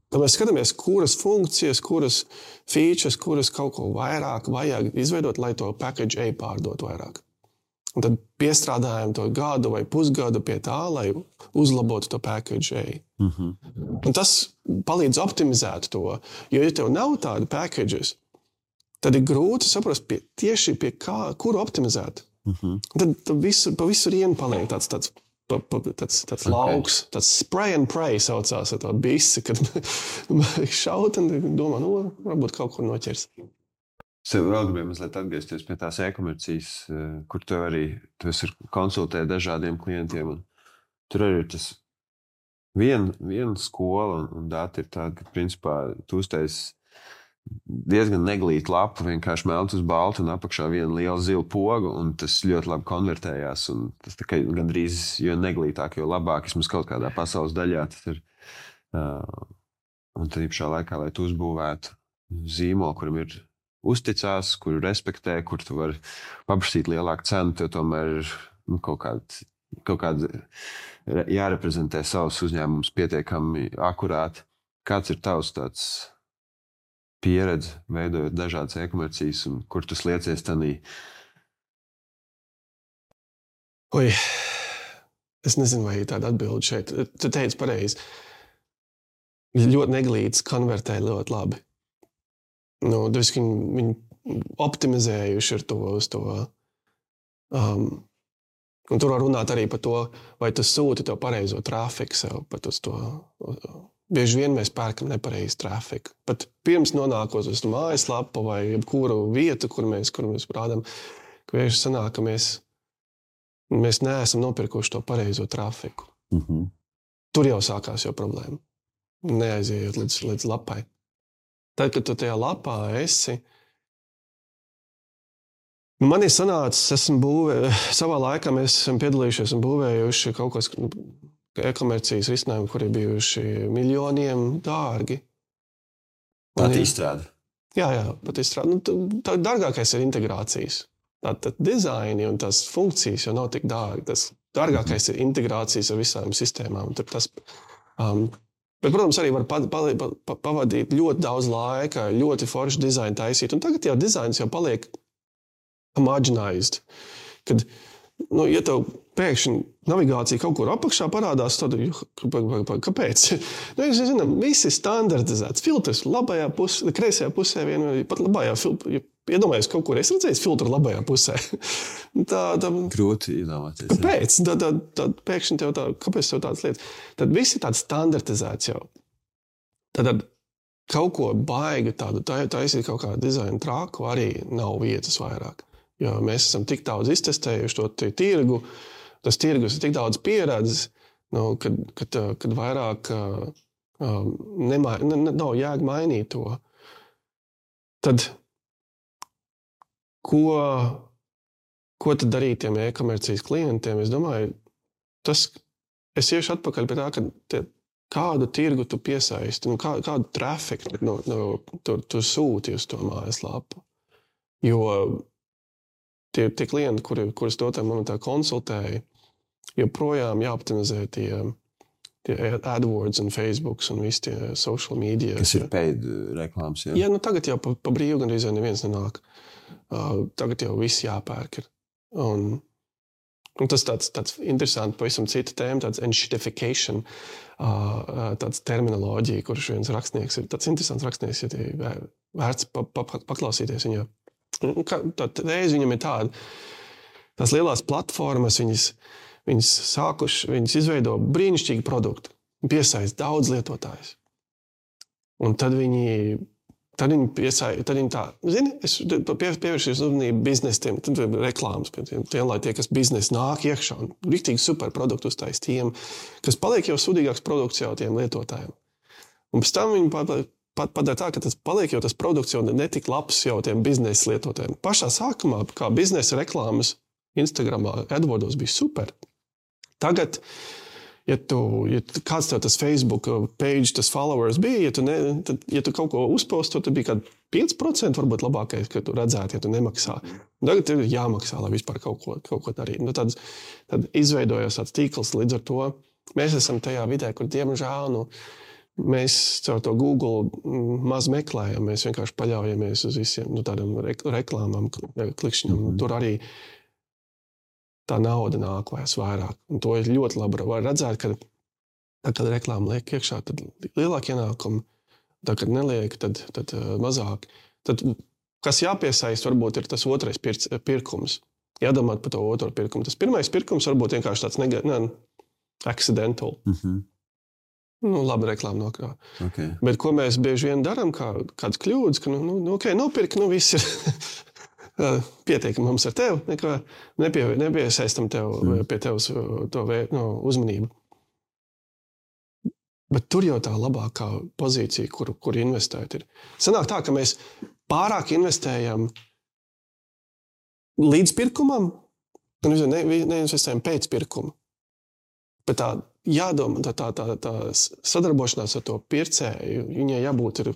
Tad mēs skatāmies, kuras funkcijas, kuras features, kuras kaut ko vairāk vajag izveidot, lai to package A pārdot vairāk. Un tad piestrādājam to gadu vai pusgadu pie tā, lai uzlabotu to package A. Un tas palīdz optimizēt to, jo ja tev nav tādi packages, tad ir grūti saprast tieši pie kā, kuru optimizēt. Tad pa visu rienu paliek tāds lauks, tāds spray and pray saucās ar to bisi, kad šaut un domā, varbūt kaut ko noķers. Sev vēl gribēju mazliet atgriezties pie tās e-komercijas, kur tu esi konsultē dažādiem klientiem. Un tur arī ir tas viena skola un dati ir tāda, ka principā tu uztaisi diezgan neglītu lapu, vienkārši melns uz baltu un apakšā viena liela zila poga, un tas ļoti labi konvertējās. Un tas tā kā gandrīz, jo neglītāk, jo labāk, vismaz kaut kādā pasaules daļā tas ir. Un tad pašā laikā, lai tu uzbūvētu zīmolu, kuram ir uzticās, kuru respektē, kur tu vari paprasīt lielāku cenu, tev tomēr ir kaut kāda jāreprezentē savus uzņēmumus pietiekami akurāti. Kāds ir tavs tāds pieredzi, veidojot dažādas e-komercijas, un kur tu sliecies tanī? Oi, es nezinu, vai tāda atbilde šeit. Tu teici pareizi. Ļoti neglīts konvertē ļoti labi. Viņi optimizējuši ir to uz to. Un tur var runāt arī par to, vai tu sūti to pareizo trafiku sev, pat uz to. Bieži vien mēs pērkam nepareizu trafiku. Pat pirms nonākot uz mājaslapu vai jebkuru vietu, kur mēs rādām, ka bieži sanāk, ka mēs neesam nopirkuši to pareizo trafiku. Tur jau sākās jau problēma. Neaizējot līdz lapai. Tad, kad tu tajā lapā esi, man ir sanācis, savā laikā mēs esam piedalījušies un būvējuši kaut kas e-komercijas risinājumu, kuri bijuši miljoniem dārgi. Pat izstrāde. Jā, pat izstrāde. Tā dārgākais ir integrācijas. Tātad dizaini un tās funkcijas jau nav tik dārgi. Tas dārgākais ir integrācijas ar visām sistēmām. Bet, protams, arī var pavadīt ļoti daudz laika, ļoti forši dizainu taisīt. Un tagad jau dizains jau paliek homogenized. Kad, ja tev pēkšņi navigācija kaut kur apakšā parādās, tad kāpēc? Es zinu, viss ir standartizēts. Filtrs labajā pusē, kreisajā pusē, pat labajā filtrā. Iedomājies, kaut kur es redzēju filtru labajā pusē. Grūti iedomāties. Kāpēc? Tad pēkšņi tev kāpēc tev tādas lietas? Tad viss ir tāds standartizēts jau. Tad kaut ko baigi tādu taisīt kaut kādu dizainu trāku arī nav vietas vairāk. Jo mēs esam tik daudz iztestējuši to tirgu, tas tirgus ir tik daudz pieredzes, kad vairāk nav jēga mainīt to. Tad ko tad darīt tiem e-komercijas klientiem? Es domāju, es iešu atpakaļ pie tā, ka kādu tirgu tu piesaisti, kādu trafiku tu sūti uz to mājaslapu. Jo tie klienti, kurus dotā momentā konsultēja, joprojām jāoptimizē tie AdWords un Facebooks un visi tie social media. Kas ir paid reklāmas, jā? Jā, tagad jau pa brīvu gan reizē neviens nenāk. Tagad jau viss jāpērk ir. Un tas tāds interesants, pavisam cita tēma, tāds enshittification, tāds terminoloģija, kurš viens rakstnieks ir tāds interesants rakstnieks, ja vērts paklausīties viņā. Tā reiz viņam ir tāda, tās lielās platformas, viņas izveido brīnišķīgu produktu, piesaist daudz lietotājus. Un tad viņi tā, zini, es pievēršies uzmanību biznesiem, tad reklāmas, lai tie, kas biznes nāk iekšā un riktīgi super produktu uztais tiem, kas paliek jau sudīgāks produkts jau tiem lietotājiem. Un pēc tam viņi padara tā, ka tas paliek jau tas produkts jau netik labs jau tiem biznesa lietotājiem. Pašā sākumā, kā biznesa reklāmas Instagramā, AdWordos bija super. Tagad, ja kāds tev tas Facebook page, tas followers bija, ja tu kaut ko uzposto, tad bija kāds 5% varbūt labākais, ka tu redzētu, ja tu nemaksā. Tagad ir jāmaksā, lai vispār kaut ko darīt. Tad izveidojās tāds tīkls līdz ar to. Mēs esam tajā vidē, kur diemžēl, mēs caur to Google maz meklējam, mēs vienkārši paļaujamies uz visiem tādām reklāmām, klikšķiņām. Tur arī tā nauda nāk vairs vairāk. Un to ir ļoti labi var redzēt, kad reklāma liek iekšā, tad lielāk ienākumi, tad, kad neliek, tad mazāk. Tad, kas jāpiesaist, varbūt ir tas otrais pirkums. Jādomāt par to otro pirkumu. Tas pirmais pirkums varbūt vienkārši tāds accidental. Labi reklāma nokrā. Okay. Bet ko mēs bieži vien darām, kāds kļūdas, ka nopirka, viss ir pietiekami mums ar tevi, neko nepiesaistam tev pie tevs to uzmanību. Bet tur jau tā labākā pozīcija, kur investēt ir. Sanāk tā, ka mēs pārāk investējam līdz pirkumam, un neinvestējam pēc pirkuma. Bet tā jādomā, tā sadarbošanās ar to pircēju, viņai jābūt ir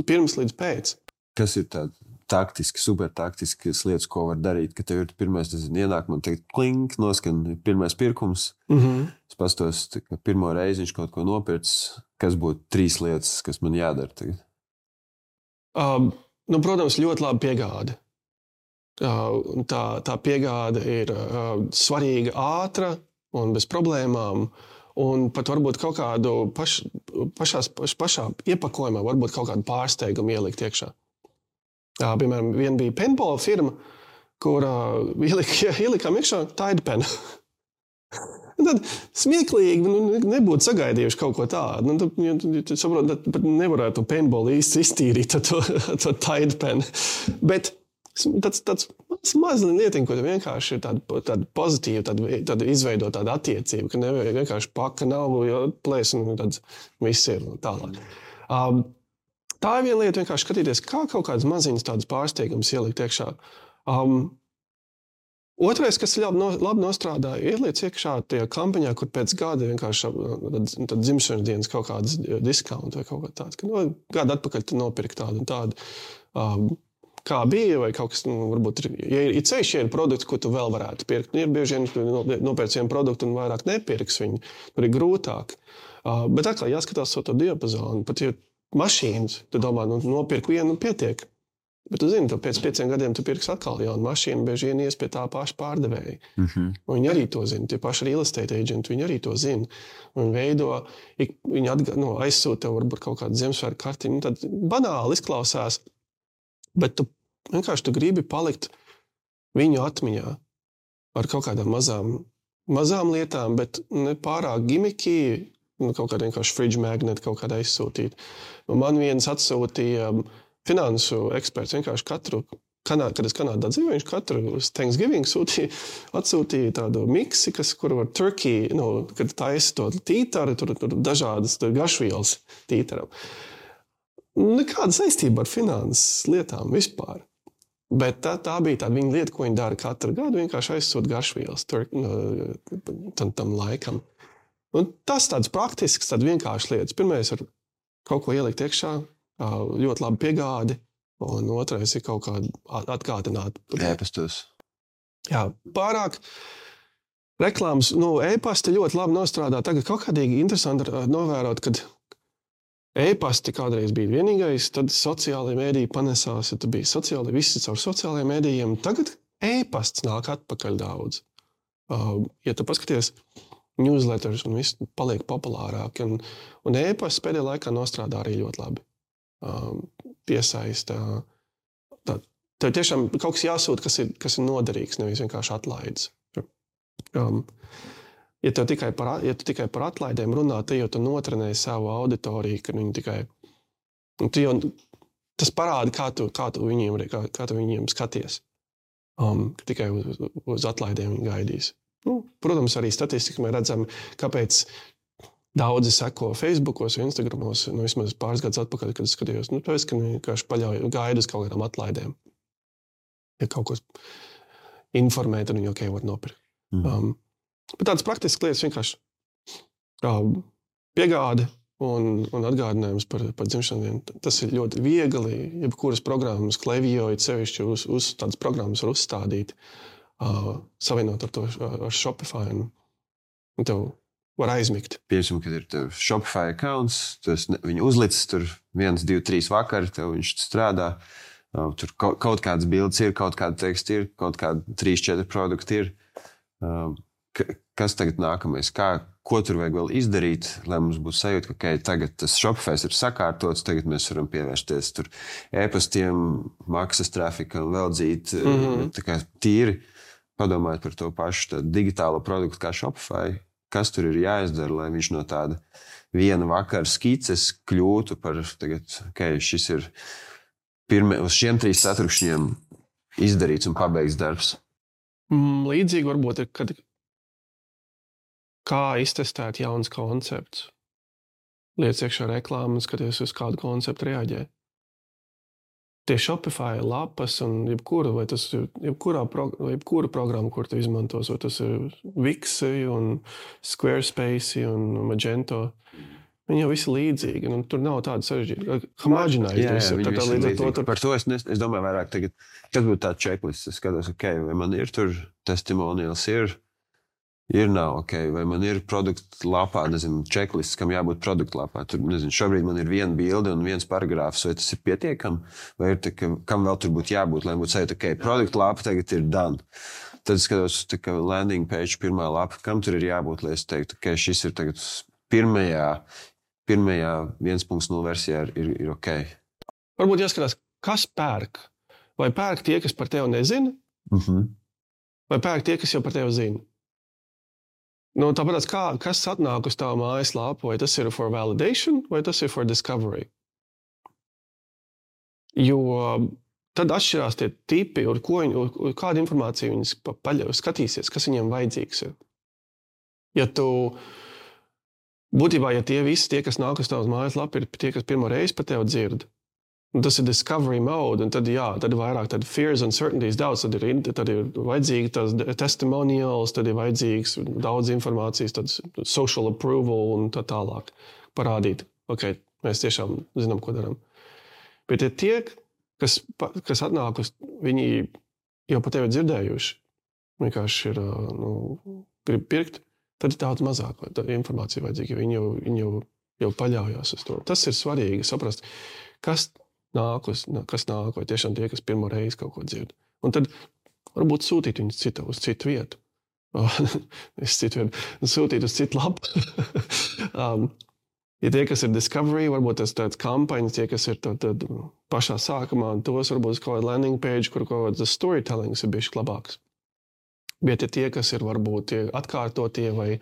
pirms līdz pēc. Kas ir tādi taktiski, supertaktiskas lietas, ko var darīt, ka tev ir pirmais, ienāk, man teikt, klink, noskan pirmais pirkums. Es pastos, ka pirmo reizi viņš kaut ko nopircis, kas būtu 3 lietas, kas man jādara tagad. Protams, ļoti labi piegāde. Tā piegāde ir svarīga, ātra un bez problēmām. Un pat varbūt kaut kādu pašā iepakojumā, varbūt kaut kādu pārsteigumu ielikt iekšā. Piemēram, viena bija paintball firma, kur ielikām iekšā Tide Pen. Tad smieklīgi nebūtu sagaidījuši kaut ko tādu. Tu saproti, pat nevarētu paintball īsti iztīrīt to Tide Pen. Bet tāds mazliet lietiņa, ko tu vienkārši ir tāda pozitīva, tāda izveidot tādu attiecību, ka nevajag vienkārši paka nav, plēs un tāds viss ir tālāk. Tā ir viena lieta, vienkārši skatīties, kā kaut kādas maziņas tādas pārsteigumus ielikt iekšā. Otrais, kas labi nostrādā, ieliec iekšā tajā kampaņā, kur pēc gada vienkārši tad dzimšanas dienas kaut kādas discounti vai kaut kā tāds. Gadu atpakaļ tu nopirki tādu un tādu. Kā bija, vai kaut kas, varbūt ir ceļš, ja ir produkts, ko tu vēl varētu pirkt. Ir bieži vien, tu nopērc vienu produktu un vairāk nepirks viņu. Tur ir grūtāk. Bet atkal jāskatās to diapazonu. Pat ja mašīnas, tu domā, nopirk vienu un pietiek. Bet tu zini, pēc 5 gadiem tu pirks atkal jaunu mašīnu, bieži vien ies pie tā paša pārdevēja. Viņi arī to zina. Tie paši real estate agenti, viņi arī to zina. Un veido, viņi aizsūta tev varbūt kaut kādu Ziemassvētku kartiņu. Tad banāli izklausās, bet tu vienkārši gribi palikt viņu atmiņā ar kaut kādām mazām lietām, bet ne pārāk gimiki, kaut kādā vienkārši fridge magnet kaut kādā aizsūtīt. Man viens atsūtīja finansu eksperts vienkārši kad es Kanādā dzīvoju, viņš katru Thanksgiving atsūtīja tādu miksi, kur var turkey, kad taisa to tītaru, tur dažādas garšvielas tītaram. Nekāda saistība ar finanses lietām vispār. Bet tā bija tāda viņa lieta, ko viņi dara katru gadu, vienkārši aizsūt garšvielas tam laikam. Un tas tāds praktisks, tāds vienkārši lietas. Pirmais ir kaut ko ielikt iekšā, ļoti labi piegādi, un otrais ir kaut kā atgādināt. E-pastos. Jā, pārāk reklāmas, e-pasti ļoti labi nostrādā. Tagad kaut kādīgi interesanti novērot, kad e-pasti kādreiz bija vienīgais, tad sociālajie mēdīji panesās, ja tu biji visi caur sociālajiem mēdījiem. Tagad e-pasts nāk atpakaļ daudz. Ja tu paskaties, newsletters un viss paliek populārāk, un e-pasts pēdējā laikā nostrādā arī ļoti labi. Piesaista. Tev tiešām kaut kas jāsūt, kas ir noderīgs, nevis vienkārši atlaides. Ja tu tikai par atlaidēm runā, tad jau tu notrenēji savu auditoriju, ka viņi tikai... Tas parāda, kā tu viņiem skaties. Tikai uz atlaidēm viņi gaidīs. Protams, arī statistika mēs redzam, kāpēc daudzi seko Facebookos vai Instagramos, vismaz pāris gadus atpakaļ, kad es skatījos, tāpēc, ka vienkārši gaida uz kaut kādām atlaidēm. Ja kaut ko informē, tad viņi var nopirkt. Bet tādas praktiskas lietas vienkārši piegāde un atgādinājums par dzimšanu dienu. Tas ir ļoti viegli, jebkuras programmas, Klaviyo, sevišķi uz tādas programmas var uzstādīt, savienot ar Shopify, un tev var aizmigt. Piemēram, kad ir tev Shopify accounts, viņu uzlicis tur 1, 2, 3 vakari, tev viņš strādā, tur kaut kādas bildes ir, kaut kāda teksta ir, kaut kāda 3, 4 produkti ir. Kas tagad nākamais? Ko tur vajag vēl izdarīt, lai mums būtu sajūta, ka tagad tas Shopify ir sakārtots, tagad mēs varam pievērsties tur e-pastiem, maksas trafikam, vēl dzīt, tā kā tīri padomājot par to pašu digitālo produktu kā Shopify, kas tur ir jāizdara, lai viņš no tāda viena vakara skices kļūtu par tagad, šis ir uz šiem 3 ceturkšņiem izdarīts un pabeigts darbs. Līdzīgi varbūt ir, kad kā iztestēt jauns koncepts. Liec iekšā reklāmas, skaties uz kādu konceptu reaģē. Tie Shopify lapas un jebkura programma, kur tu izmantos, vai tas ir Wix un Squarespace un Magento, viņi jau visi līdzīgi. Tur nav tāda sarežģīta. Par to es domāju vairāk tagad, kad būtu tāda checklist, es skatos, vai man ir tur testimonials ir, Nav, ok, vai man ir produktu lapā, nezinu, checklists, kam jābūt produktu lapā. Tur, nezinu, šobrīd man ir viena bilde un viens paragrāfs, vai tas ir pietiekami, vai ir, kam vēl tur būtu jābūt, lai būtu sajūta, ok, produktu lapa tagad ir done. Tad skatos, ka landing page pirmā lapa, kam tur ir jābūt, lai es teiktu, ka šis ir tagad pirmajā 1.0 versijā ir ok. Varbūt jāskatās, kas pērk. Vai pērk tie, kas par tevi nezina? Vai pērk tie, kas jau par tevi zina? Nu, tāpēc, kas atnāk uz tavu mājaslapu, vai tas ir for validation, vai tas ir for discovery? Jo tad atšķirās tie tipi, kādu informāciju viņi skatīsies, kas viņiem vajadzīgs ir. Būtībā, ja tie visi, tie, kas nāk uz tavas mājaslapu, ir tie, kas pirmo reizi par tevi dzird, un tas ir discovery mode, un tad vairāk tad fears and uncertainties daudz, tad ir vajadzīgi tās testimonials, tad ir vajadzīgs daudz informācijas, tad social approval un tā tālāk parādīt. Ok, mēs tiešām zinām, ko darām. Bet tie, kas atnāk uz, viņi jau par tevi dzirdējuši, vienkārši ir, grib pirkt, tad ir daudz mazāk informācija vajadzīga, jo viņi jau paļaujās uz to. Tas ir svarīgi saprast, kas nāk, vai tiešām tie, kas pirmo reizi kaut ko dzird. Un tad varbūt sūtīt viņus uz citu vietu. Sūtīt uz citu lapu. Ja tie, kas ir discovery, varbūt tas tāds kampaņas, tie, kas ir tad pašā sākumā, tos varbūt kaut kāda landing page, kur kaut kāds storytellings ir bišķi labāks. Bet ja tie, kas ir varbūt tie atkārtotie vai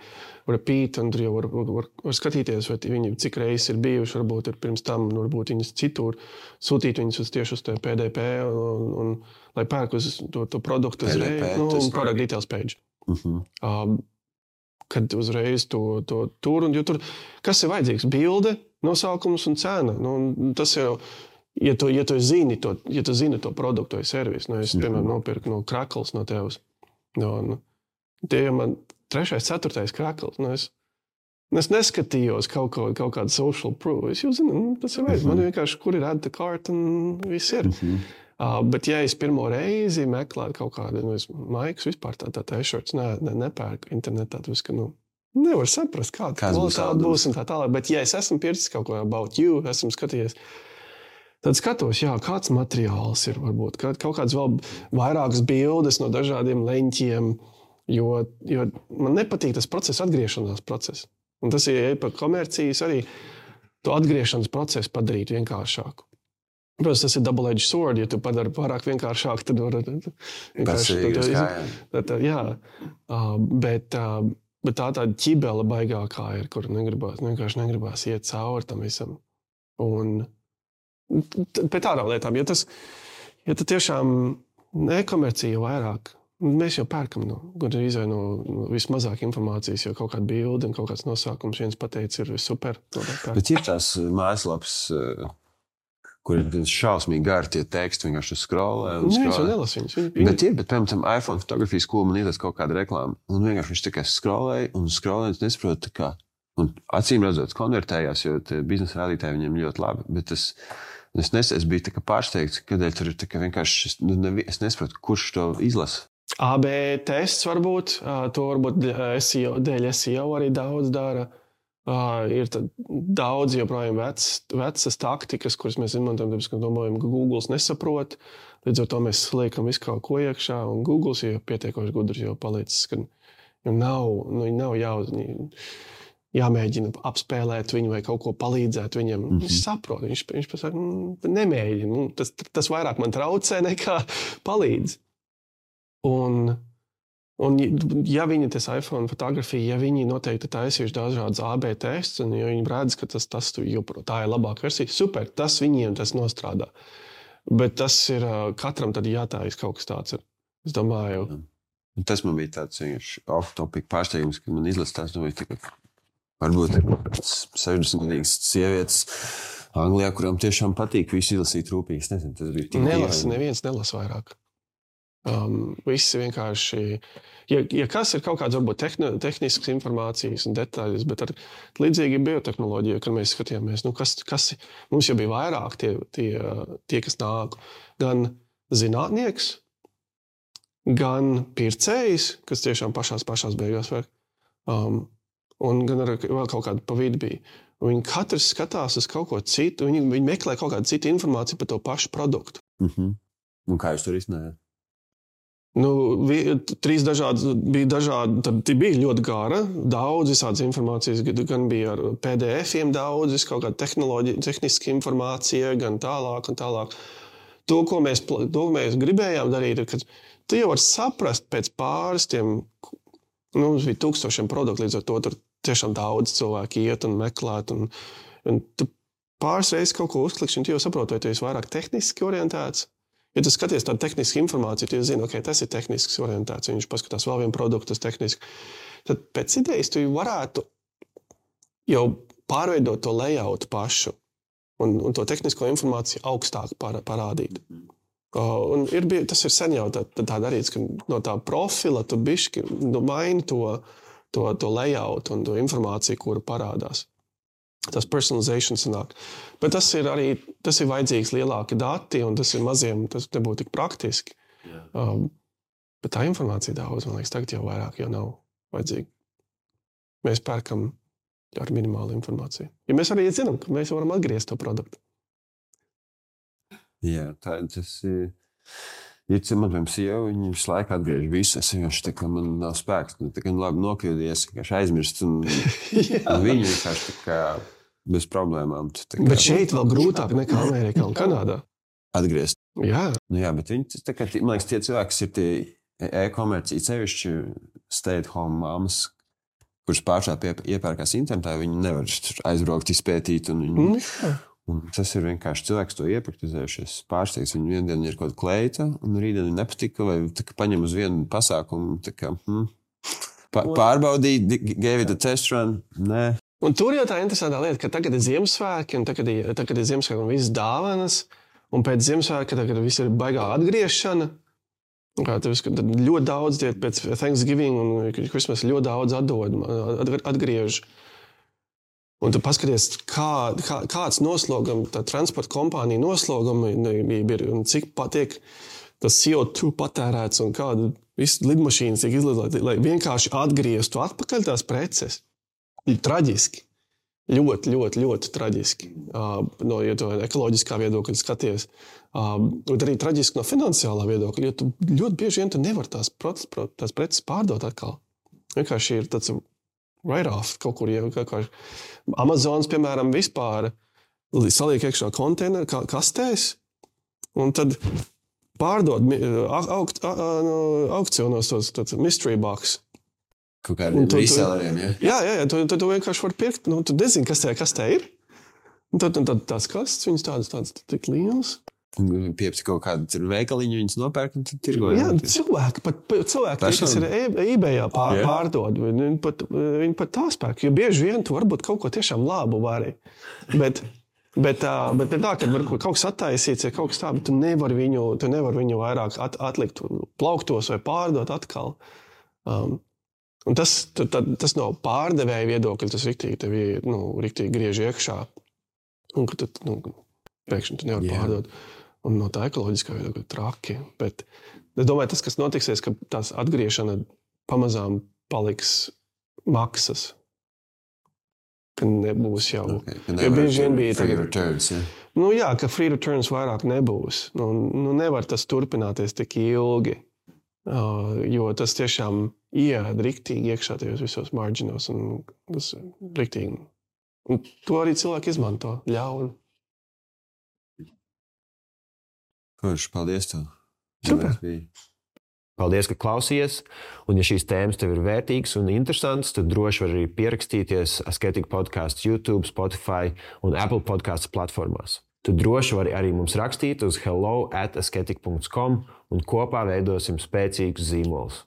repeat, un tur jau var skatīties, vai viņi cik reizes ir bijuši, varbūt ir pirms tam, un varbūt viņus citur, sūtīt viņus tieši uz PDP, un lai pērk uz to produktu uzreiz, un product details page. Kad uzreiz to tur, un jo tur, kas ir vajadzīgs? Bilde, nosaukums un cena. Tas jau, ja tu zini to produktu vai servisu, es, piemēram, nopirku no Krakls no tevs. Tie jau man 3., 4. Krakls. Es neskatījos kaut kādu social proof. Es jau zinu, tas ir vajadzīgs. Man vienkārši, kur ir add to cart un viss ir. Bet ja es pirmo reizi meklētu kaut kādu, maikus vispār tā t-shirts, nepērku internetā, ka, nevar saprast, kāda kvalitāte būs un tā tālāk. Bet ja es esmu pircis kaut ko about you, esmu skatījies, tad skatos, kāds materiāls ir varbūt, kaut kāds vēl vairākas bildes no dažādiem leņķiem, jo man nepatīk tas process, atgriešanās process. Un tas ir par komercijas arī to atgriešanas procesu padarīt vienkāršāku. Protams, tas ir double-edged sword, ja tu padari pārāk vienkāršāk, tad var bet tā ķibela baigākā ir, kur vienkārši negribās iet cauri tam visam. Un pēc tādām lietām, ja tu tiešām nekomercija vairāk, mēs jau pērkam gandrīz no vismazāk informācijas, jo kaut kāda bilde un kaut kāds nosākums viens pateicis ir super. Bet ir tās mājaslapas, kur ir šausmīgi gari tie teksti, vienkārši scrollē. Es jau nelasu viņus. Bet piemēram, iPhone fotografijas skola man iedās kaut kāda reklāma, un vienkārši viņš tikai scrollēja, un nesaprotu, kā. Un acīm redzot, konvertējās, jo biznesa rādītāji viņiem ļoti labi, bet es biju tā kā pārsteigts, kādēļ tur ir tā kā vienkārši, es nesaprotu, kurš to izlasa. AB tests varbūt, to varbūt dēļ SEO arī daudz dara. Ir daudz joprojām vecas taktikas, kuras mēs izmantojam, tāpēc, ka domājam, ka Googles nesaprot. Līdz ar to mēs liekam visu kaut ko iekšā, un Googles jau pietiekoši gudrs jau palicis, ka nav jāmēģina apspēlēt viņu vai kaut ko palīdzēt viņam. Viņš saprot, viņš pasaka, nemēģina. Tas vairāk man traucē nekā palīdz. Un ja viņi tas iPhone fotografija, ja viņi noteikti taisījuši dažādas AB tests, un ja viņi redz, ka tas tā ir labāka versija, super, tas viņiem tas nostrādā. Bet tas ir katram tad jātājas kaut kas tāds ir. Es domāju. Tas man bija tāds vienkārši off-topic pārsteigums, kad man izlasās, varbūt 60-gadīgas sievietes Anglijā, kurām tiešām patīk visu izlasīt rūpīgi. Es nezinu, tas bija tik neviens nelasa vairāk. Visi vienkārši, ja kas ir kaut kāds varbūt tehnisks informācijas un detaļas, bet ar līdzīgi biotehnoloģiju, kad mēs skatījāmies, kas mums jau bija vairāk tie, kas nāk, gan zinātnieks, gan pircējs, kas tiešām pašās beigās var, un gan arī vēl kaut kāda pa vidu bija. Un viņi katrs skatās uz kaut ko citu, viņi meklē kaut kādu citu informāciju par to pašu produktu. Un kā jūs tur izcinājāt? Trīs bija dažādi, tad bija ļoti gara, daudz visādas informācijas, gan bija ar PDF-iem daudz, kaut kāda tehniska informācija, gan tālāk un tālāk. To, ko mēs gribējām darīt, ir, ka tu jau vari saprast pēc pāris tiem, mums bija 1000 produktu, līdz ar to tur tiešām daudz cilvēki iet un meklēt, un tu pāris reizes kaut ko uzklikšķi, un tu jau saproti, vai tu esi vairāk tehniski orientēts. Ja tu skaties tādu tehnisku informāciju, tu zini, ok, tas ir tehnisks orientēts, viņš paskatās vēl vienu produktu, tas tehniski. Tad pēc idejas tu varētu jau pārveidot to layoutu pašu un to tehnisko informāciju augstāk parādīt. Un tas ir sen jau tā darīts, ka no tā profila tu bišķi maini to layout un to informāciju, kuru parādās. Tas personalization sanāk. Bet tas ir vajadzīgs lielāki dati, un tas ir maziem, tas nebūtu tik praktiski. Bet tā informācija daudz, man liekas, tagad jau vairāk jau nav vajadzīga. Mēs pērkam ar minimālu informāciju. Ja mēs arī zinām, ka mēs varam atgriezt to produktu. Jā, tas ir... Ja man piemēram sieva, viņa visu laiku atgriež visu, es vienkārši tā kā man nav spēks, tā kā labi nokļūdies, vienkārši aizmirst, un viņa vienkārši tā kā bez problēmām. Bet šeit vēl grūtāk nekā Amerikā un Kanādā. Atgriezt. Jā. Jā, bet viņi, tā kā, man liekas, tie cilvēki, kas ir tie e-komercija, sevišķi stay-at-home mammas, kuras pāršā iepērkās internetā, viņi nevar aizbraukt, izpētīt, un tas ir vienkārši cilvēks to iepraktizējušies. Pārsteigts, viņu vienu dienu ir kaut kāda kleita, un rītdien nepatika, vai tā kā paņem uz vienu pasākumu, tā kā pārbaudīt, gave it a test run, nē. Un tur jau tā interesantā lieta, ka tagad ir Ziemassvētki, un tagad ir Ziemassvētki un visas dāvanas, un pēc Ziemassvētki, tagad viss ir baigā atgriešana. Tad ļoti daudz pēc Thanksgiving un Christmas ļoti daudz atgriež. Un tu paskaties, kāds noslogam, tā transporta kompānija noslogama ir, un cik tiek tas CO2 patērēts, un kāda visas lidmašīnas tiek izlietotas, lai vienkārši atgrieztu atpakaļ tās preces. Traģiski. Ļoti, ļoti, ļoti traģiski. Ja to ekoloģiskā viedokļa skaties. Bet arī traģiski no finansiālā viedokļa, jo tu ļoti bieži vien tu nevar tās preces pārdot atkal. Vienkārši ir tāds write-off kaut kur, Amazons, piemēram, vispār saliek iekšā konteineru kastēs, un tad pārdod aukcionos tos mystery box. Kaut kādiem reselleriem, ja? Jā, tu vienkārši var pirkt, tu nezini, kas tā ir. Un tad tās kastes, viņas tādas tik lielas. Piepsi kaut kādu veikaliņu, viņas nopērk un tad tirgo. Jā, cilvēki, kas ir eBayā pārdod, viņi pat tā spēk, jo bieži vien tu varbūt kaut ko tiešām labu vari. Bet tā, kad var kaut kas attaisīts, ja kaut kas tā, bet tu nevar viņu vairāk atlikt plauktos vai pārdot atkal. Un tas no pārdevēja viedokļa, tas riktīgi griež iekšā. Un ka pēkšņi tu nevar pārdot. Un no tā ekoloģiskā viedokļa traki. Bet es domāju, tas, kas notiksies, ka tās atgriešana pamazām paliks maksas. Ka nebūs jau. Okay, bieži vien bija free returns, ja? Jā, ka free returns vairāk nebūs. Nevar tas turpināties tik ilgi. Jo tas tiešām ieēd riktīgi iekšā tajos visos marginos. Un tas riktīgi. Un to arī cilvēki izmanto ļauni. Kurš, paldies tev. Super. Paldies, ka klausījies. Un ja šīs tēmas tev ir vērtīgas un interesantas, tad droši var arī pierakstīties Asketika podcasts YouTube, Spotify un Apple podcasts platformās. Tu droši vari arī mums rakstīt uz hello@asketika.com un kopā veidosim spēcīgus zīmolus.